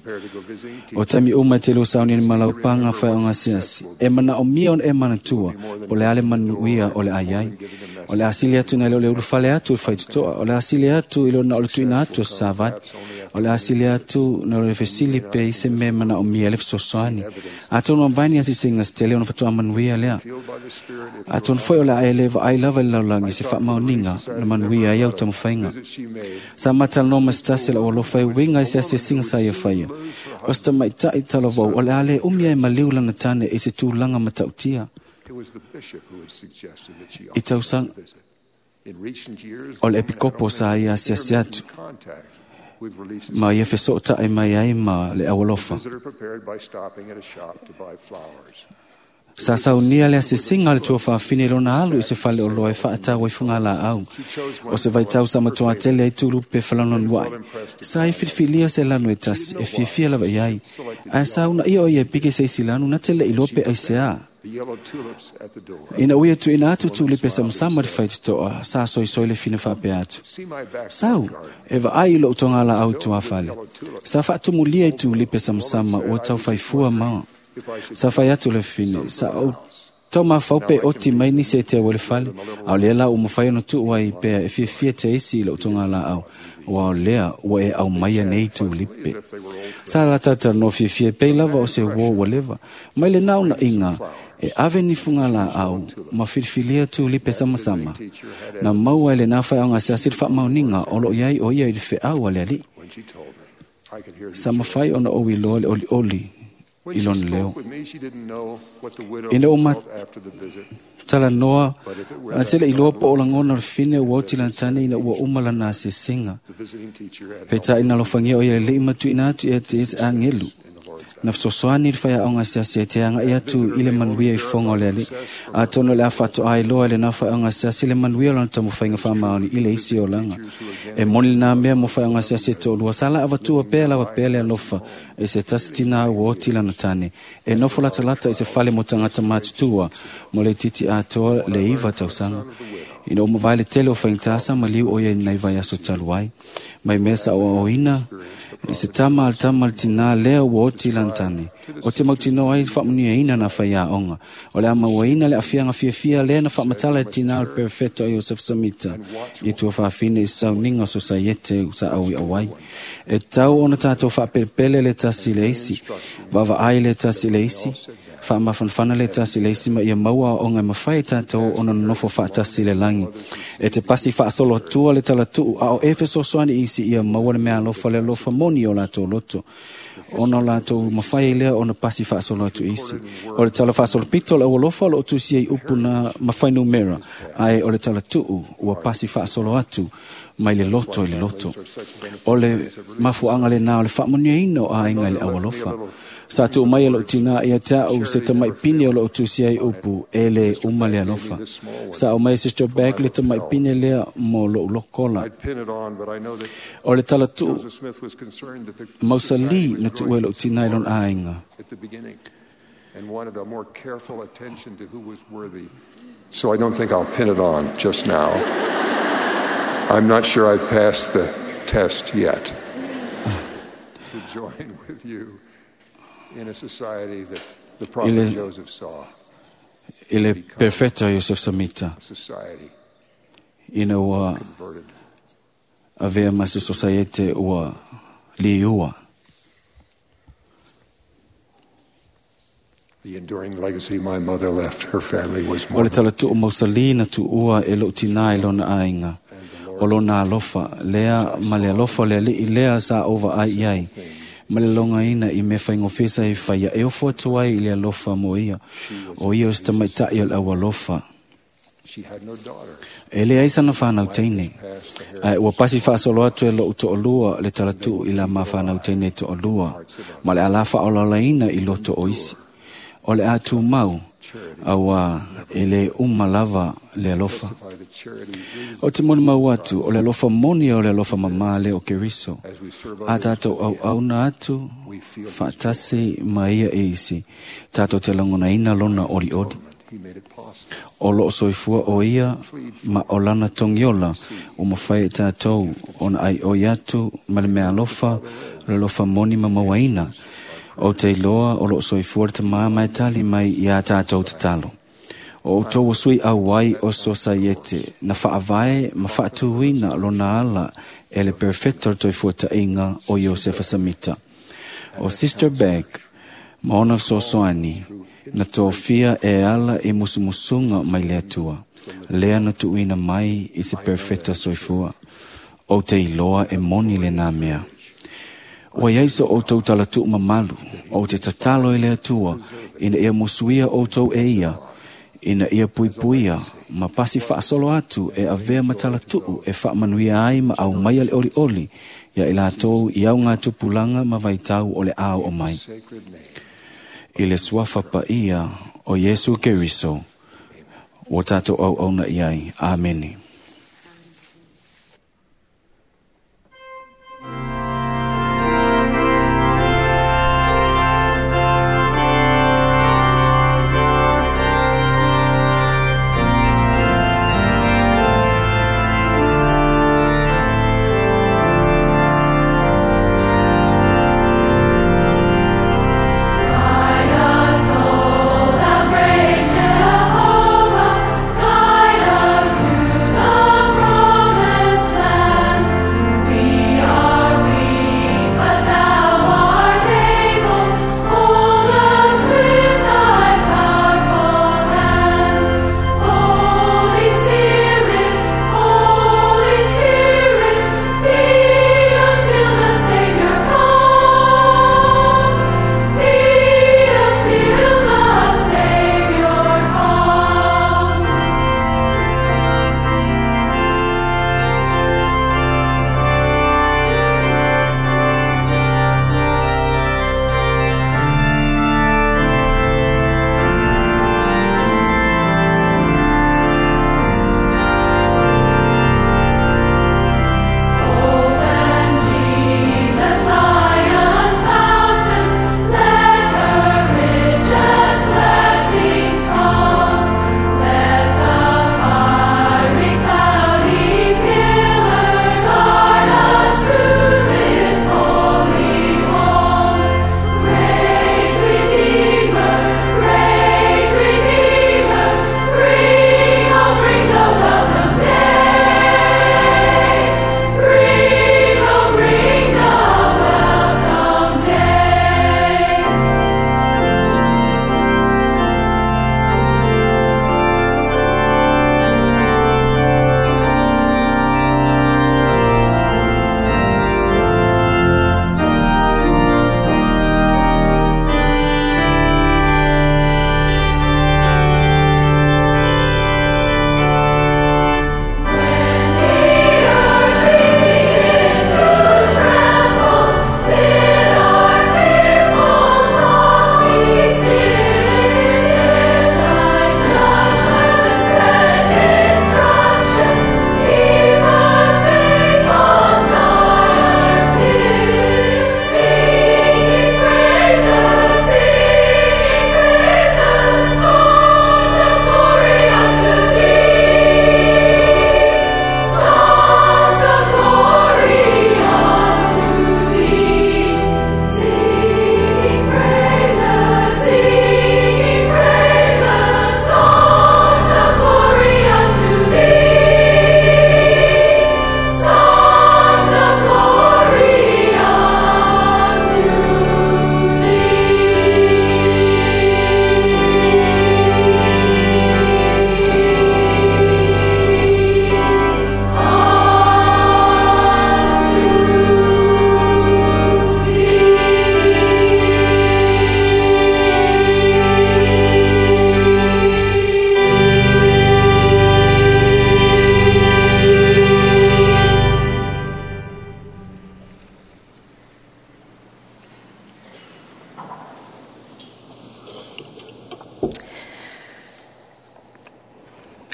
O taimi uma e te lua sauni ni malaupaga faeaoga asiasi. E manaomia ona e manatua po le a le manuia o le ai ai. O le asili atu nai le o le ulufale atu o le faitotoa. O le asili atu i le ona o le tuuina atu o se savali. O le asili atu na o le fesili pe i se mea manaomia le fesoasoani. Atonu amavae ni asiasiga se tele ona faatoa manuia lea. Atonu foi o le a e le vaai lava i le lalolagi se faamaoniga na manuia ai au taumafaiga. Sa matalanoa ma se tasi o le aualofa e uiga i se asiasiga sa ia faia. O se tamaitaʻi talavou o le a lē umi ai maliu lana tane i se tulaga matautia. It was the bishop who had suggested that she I tausaga visit. In recent years, o le epikopo sa ia asiasi atu contact with Relief ma ia fesootaʻi mai ai ma le aualofa. visitor prepared by stopping at a shop to buy flowers. Sa saunia le asiasiga o le tuafafine i lona alu i se fale oloa e faatau ai fugalaau. O se vaitau sa matuā tele ai tulupe falanoanuaʻi. Sa i filifilia se lanu e tasi e fiafia lava i ai. Ae sa unaia o ia e pike se isi lanu na te le iloa pe aiseā. Ina ua ia tuuina atu tulipe samasama i le faitotoa, sa soisoi le fina faapea atu, “Sau, e vaai i lou togalaau i tuafale. Sa faatumulia i tulipe samasama ua taufaifua ma.” Sa fai atu le fine, “Sa ou taumafau pe oti mai nisi e te au i le fale, a o lea la ua mafai ona tuu ai pea e fiafia te isi i lou togalaau, aua o lea ua e aumaia nei tulipe.” Sa la talatalanoa fiafia e pei lava o se uō ua leva. Mai lena unaiga, e ave ni fugalaau ma filifilia tulipe samasama. Na maua e lena faiaoga asiasi le faamaoniga o loo i ai o ia i le feau a le Alii. Sa mafai ona ou iloa le olioli i lona leo. Ina ua talanoa tele iloa po o lagona o le fine ua oti lana tane ina ua uma lana asiasiga. Peitai na alofagia o ia lelei ma tuuina atu ia te se agelu. Na fesoasoani le faiaoga asiasi e te agai atu i le manuia i fofoga o le Alii. Atonu o le a faatoa iloa e lena faiaoga asiasi le manuia o lona taumafaiga faamaoni i le isi olaga. E moni lena mea mo faiaoga asiasi e toalua sa la avatua pea lava pea le alofa e se tasi tinā ua oti lana tane e nofo latalata i se fale mo tagata matutua mo le itiiti atoa le 9 tausaga. Ina ua mavae le tele o faigata sa maliu o ia i lenei vaiaso talu ai. Mai mea sa oaoina i se tama a le tama le tinā lea ua oti lana tane. O te mautinoa ai faamanuiaina na faiaoga. O le a mauaina le aafiaga fiafia lea na faamatala e tinā o le perofeta o Iosefo Samita i tuafafine i sauniga o sosaiete sa auiau ai. E tau ona tatou faapelepele le tasi i le isi, vaavaai le tasi i le isi, faamafanafana le tasi i le isi ma ia maua aoaoga e mafai e tatou ona nonofo faatasi i le lagi. E te pasi faasolo atua le talatuu a o e fesoasoani i isi ia maua le meaalofa le alofa moni o latou loto, ona o latou mafai lea ona pasi faasolo atu i isi. O le tala faasolopito o le aualofa o loo tusia i upu na ma fuainumera, ae o le talatuu ua pasi faasolo atu mai le loto i le loto. O le mafuaaga lena o le faamanuiaina o aiga i le aualofa. Sa tuu mai e lou tinā ia te au se tamaipine o loo tusia i upu e le uma le alofa. Sa au mai e Sister Beck le tamaipine lea mo lou lokola. O le talatuu mausali na tuua e lou tinā i lona aiga. And wanted a more careful attention to who was worthy. So I don't think I'll pin it on just now. I'm not sure I've passed the test yet. To join with you in a society that the prophet Joseph saw. I le perfeta Iosef Samita. Society Ina ua converted. avea ma se sosaiete ua liua. The enduring legacy my mother left her family was O le more talatuu mausali na tuua e lou tinā i lona aiga. O lona alofa lea ma le alofa o le Alii lea sa ou vaai i ai. Ma le logaina i mea faigofie sa e faia e ofo atu ai i le alofa mo ia. O ia o se tamaitai o le aualofa. She had no daughter. E leai sana whanau teine. Ae ua pasi faasolo atu e lou to'olua le talatuu i la ma whanau teine to'olua. Ma le ala whaolalaina i loto o isi. O le a tumau, aua e le uma lava le alofa. By the charity is O te moni mau atu, o le alofa moni o le alofa mamā lea o Keriso. as we serve A others, tātou au auna atu, faatasi ma ia e isi. Tātou te lagonaina lona olioli. he made it possible. O loo soifua o ia ma o lana togiola o mafai e tātou ona ai oi atu ma le mea alofa, le alofa moni ma mauaina. O te iloa o loo soifua le tamā mai tali mai iā tātou tatalo. O outou o sui auai o sosaiete, na faavae ma faatuina lona ala e le perfecto le toifuataʻiga o Iosefa Samita. O Sister Beck ma ona fesoasoani na tofia e ala i musumusuga mai le Atua, lea na tuuina mai i se perfecta soifua. O te iloa e moni lenā mea. Ua iai so outou talatuu mamalu, o te tatalo i le Atua, ina ia musuia outou e ia, ina ia puipuia, ma pasi faasolo atu e avea ma talatuu e faamanuia ai ma aumaia le olioli, ia i latou i au ngā tupulaga ma vaitau o le ao o mai. Sacred name. I le suafa paia o Iesu Keriso, ua tātou auauna i ai. Amene.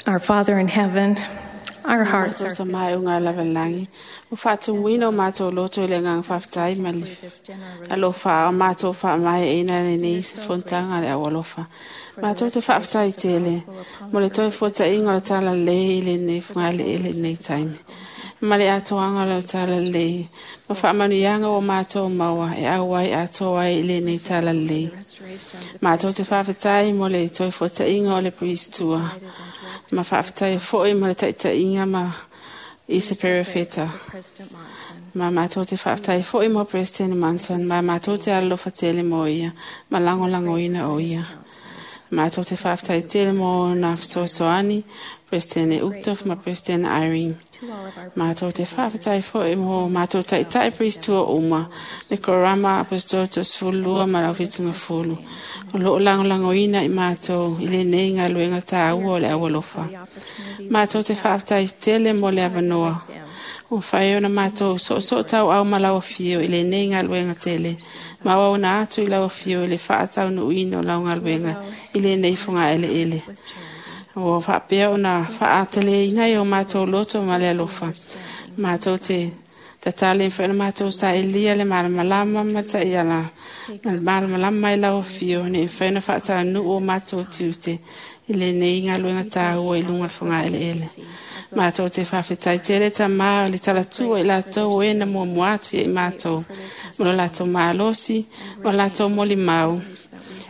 Our Father in heaven, our hearts are Ta mai o ngā lawalangi. O whaatumuina o mātou loto i le ngā whaftai ma le alofa o mātou wha mai e ina le nei fontanga le au alofa. Mātou te whaaftai tele, mo le toi fota inga o tala le i le nei whangale e le nei taimi. Ma le atoanga le o tala le, ma whaamanuianga o mātou maua e au ai atoa ai i le nei tala le. Mātou te whaftai mo le toi fota inga o le priestua. Ma whaaftai foi mo le taitainga ma i se perefeta. Ma mātou te whaaftai foi mo President Manson, ma mātou te alofa tele mo ia, ma langolango ina o ia. Mātou te whaaftai tele mo nā sosoani, President Uchtdorf ma President Irene. Mātou te whaaftai foi mo mātou taitai priestua uma, le korama apostolo fulua ma lau fitunga fulu. O loo langolango ina i mātou i le nei ngā luenga tāua o le awalofa. Mātou te whaaftai tele mo le avanoa. O whai ona mātou so so tau au ma lau whio i le nei ngā luenga tele. Ma au na atu i lau whio i le whaatau nuina o lau ngā luenga i le nei whanga ele ele. O whaapea ona whaatele inga i o mātou loto ma le alofa. Mātou te tatale i whaina mātou sa elia le malamalama ma ta iala. Ma le malamalama i lau whio ne i whaina whaatau nu o mātou tiute i le nei ngā luenga tāua i lunga whanga ele ele. Mātou te whawhetai tele ta mā le talatua i lātou e na mua muatu i mātou. Mo lo lātou mālosi, mo lātou moli mau.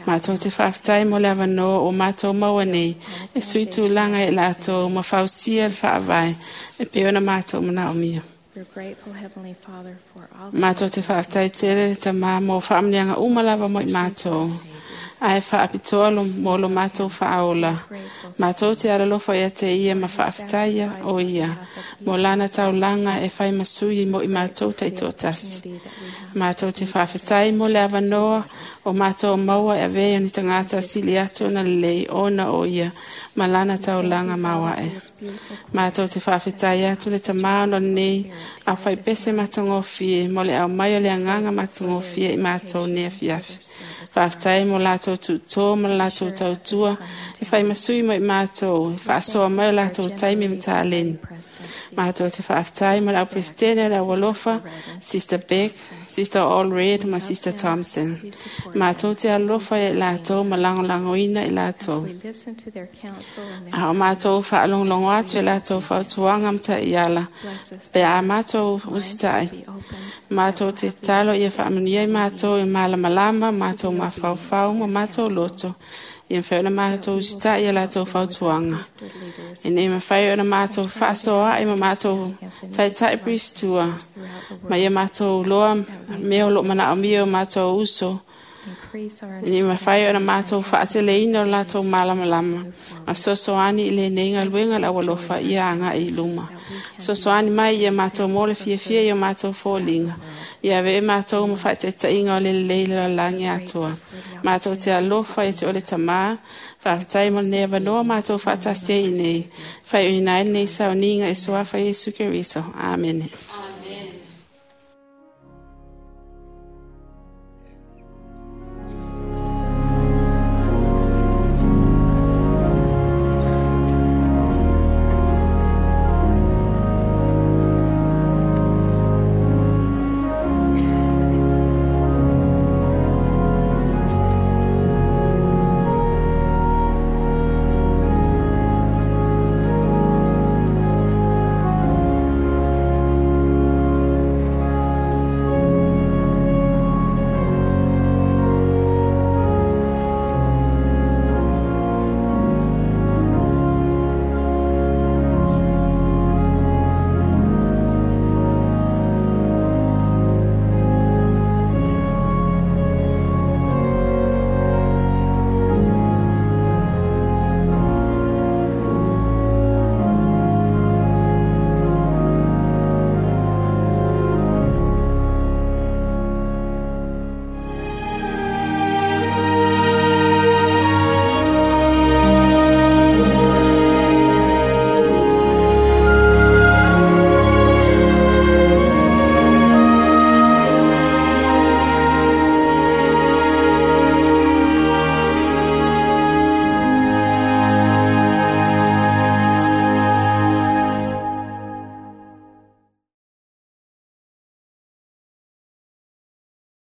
Mātou te whawhetai mo le awanoa o mātou maua nei, e sui tūlanga i lātou ma whausia le whaawai, e peona mātou mana o mia. We're grateful, Heavenly Father, for all Mātou te whawhetai tele ta mā mō whaamnianga umalava mo i mātou. Ai whaapitoa lo mō lo mātou whaaola. Mātou te aralofa ia te ia ma whaaftaia o ia. Mō lana taulanga e whai masui mo i mātou te tōtasi. Mātou te whaafetai mo le awanoa o mātou maua e vei o ni tangata sili atu na lei ona o ia ma lana taulanga mawae. Mātou te whaafetai atu le tamā o nei a whai pese matangofie mo le au mai o le anganga matangofie i mātou nea fiafi. Whaafetai mo lātou tūtō mo lātou tautua e whai masui mo i mātou e whaasoa mai o lātou taimi mtāleni. Mātou te whaafetai mo le au presidente le au alofa, Sister Beck, Sister Allred ma Sister Thompson. Mātou te alofa i lātou ma langolangoina i lātou. we listen to their counsel and their A o mātou whaalonglongo atu i lātou whautuanga mta i ala. Pe a mātou usitai. Mātou te talo ia whaamanuia i mātou i malamalama, mātou mawhauwhau, ma mātou loto. Ia mwhai ona mātou usitai i lātou whautuanga. E nei mawhai ona mātou whaasoa i ma mātou taitai pristua. Ma ia mātou loa meo lo mana o mio mātou uso. increase our Ni mawhai ona mātou whaateleina o lātou malamalama. Ma sosoani i le nei ngā luenga la walofa ia anga i luma. Sosoani mai ia mātou mōle fiafia i o mātou fōlinga. Ia ve mātou ma whaatetainga o le leila o langi atoa. Mātou te alofa i te ole tamā. Whaafetai mo nea vanoa mātou whaatase i nei. Whai uina nei sauninga e suafa Yesu Keriso. Amen.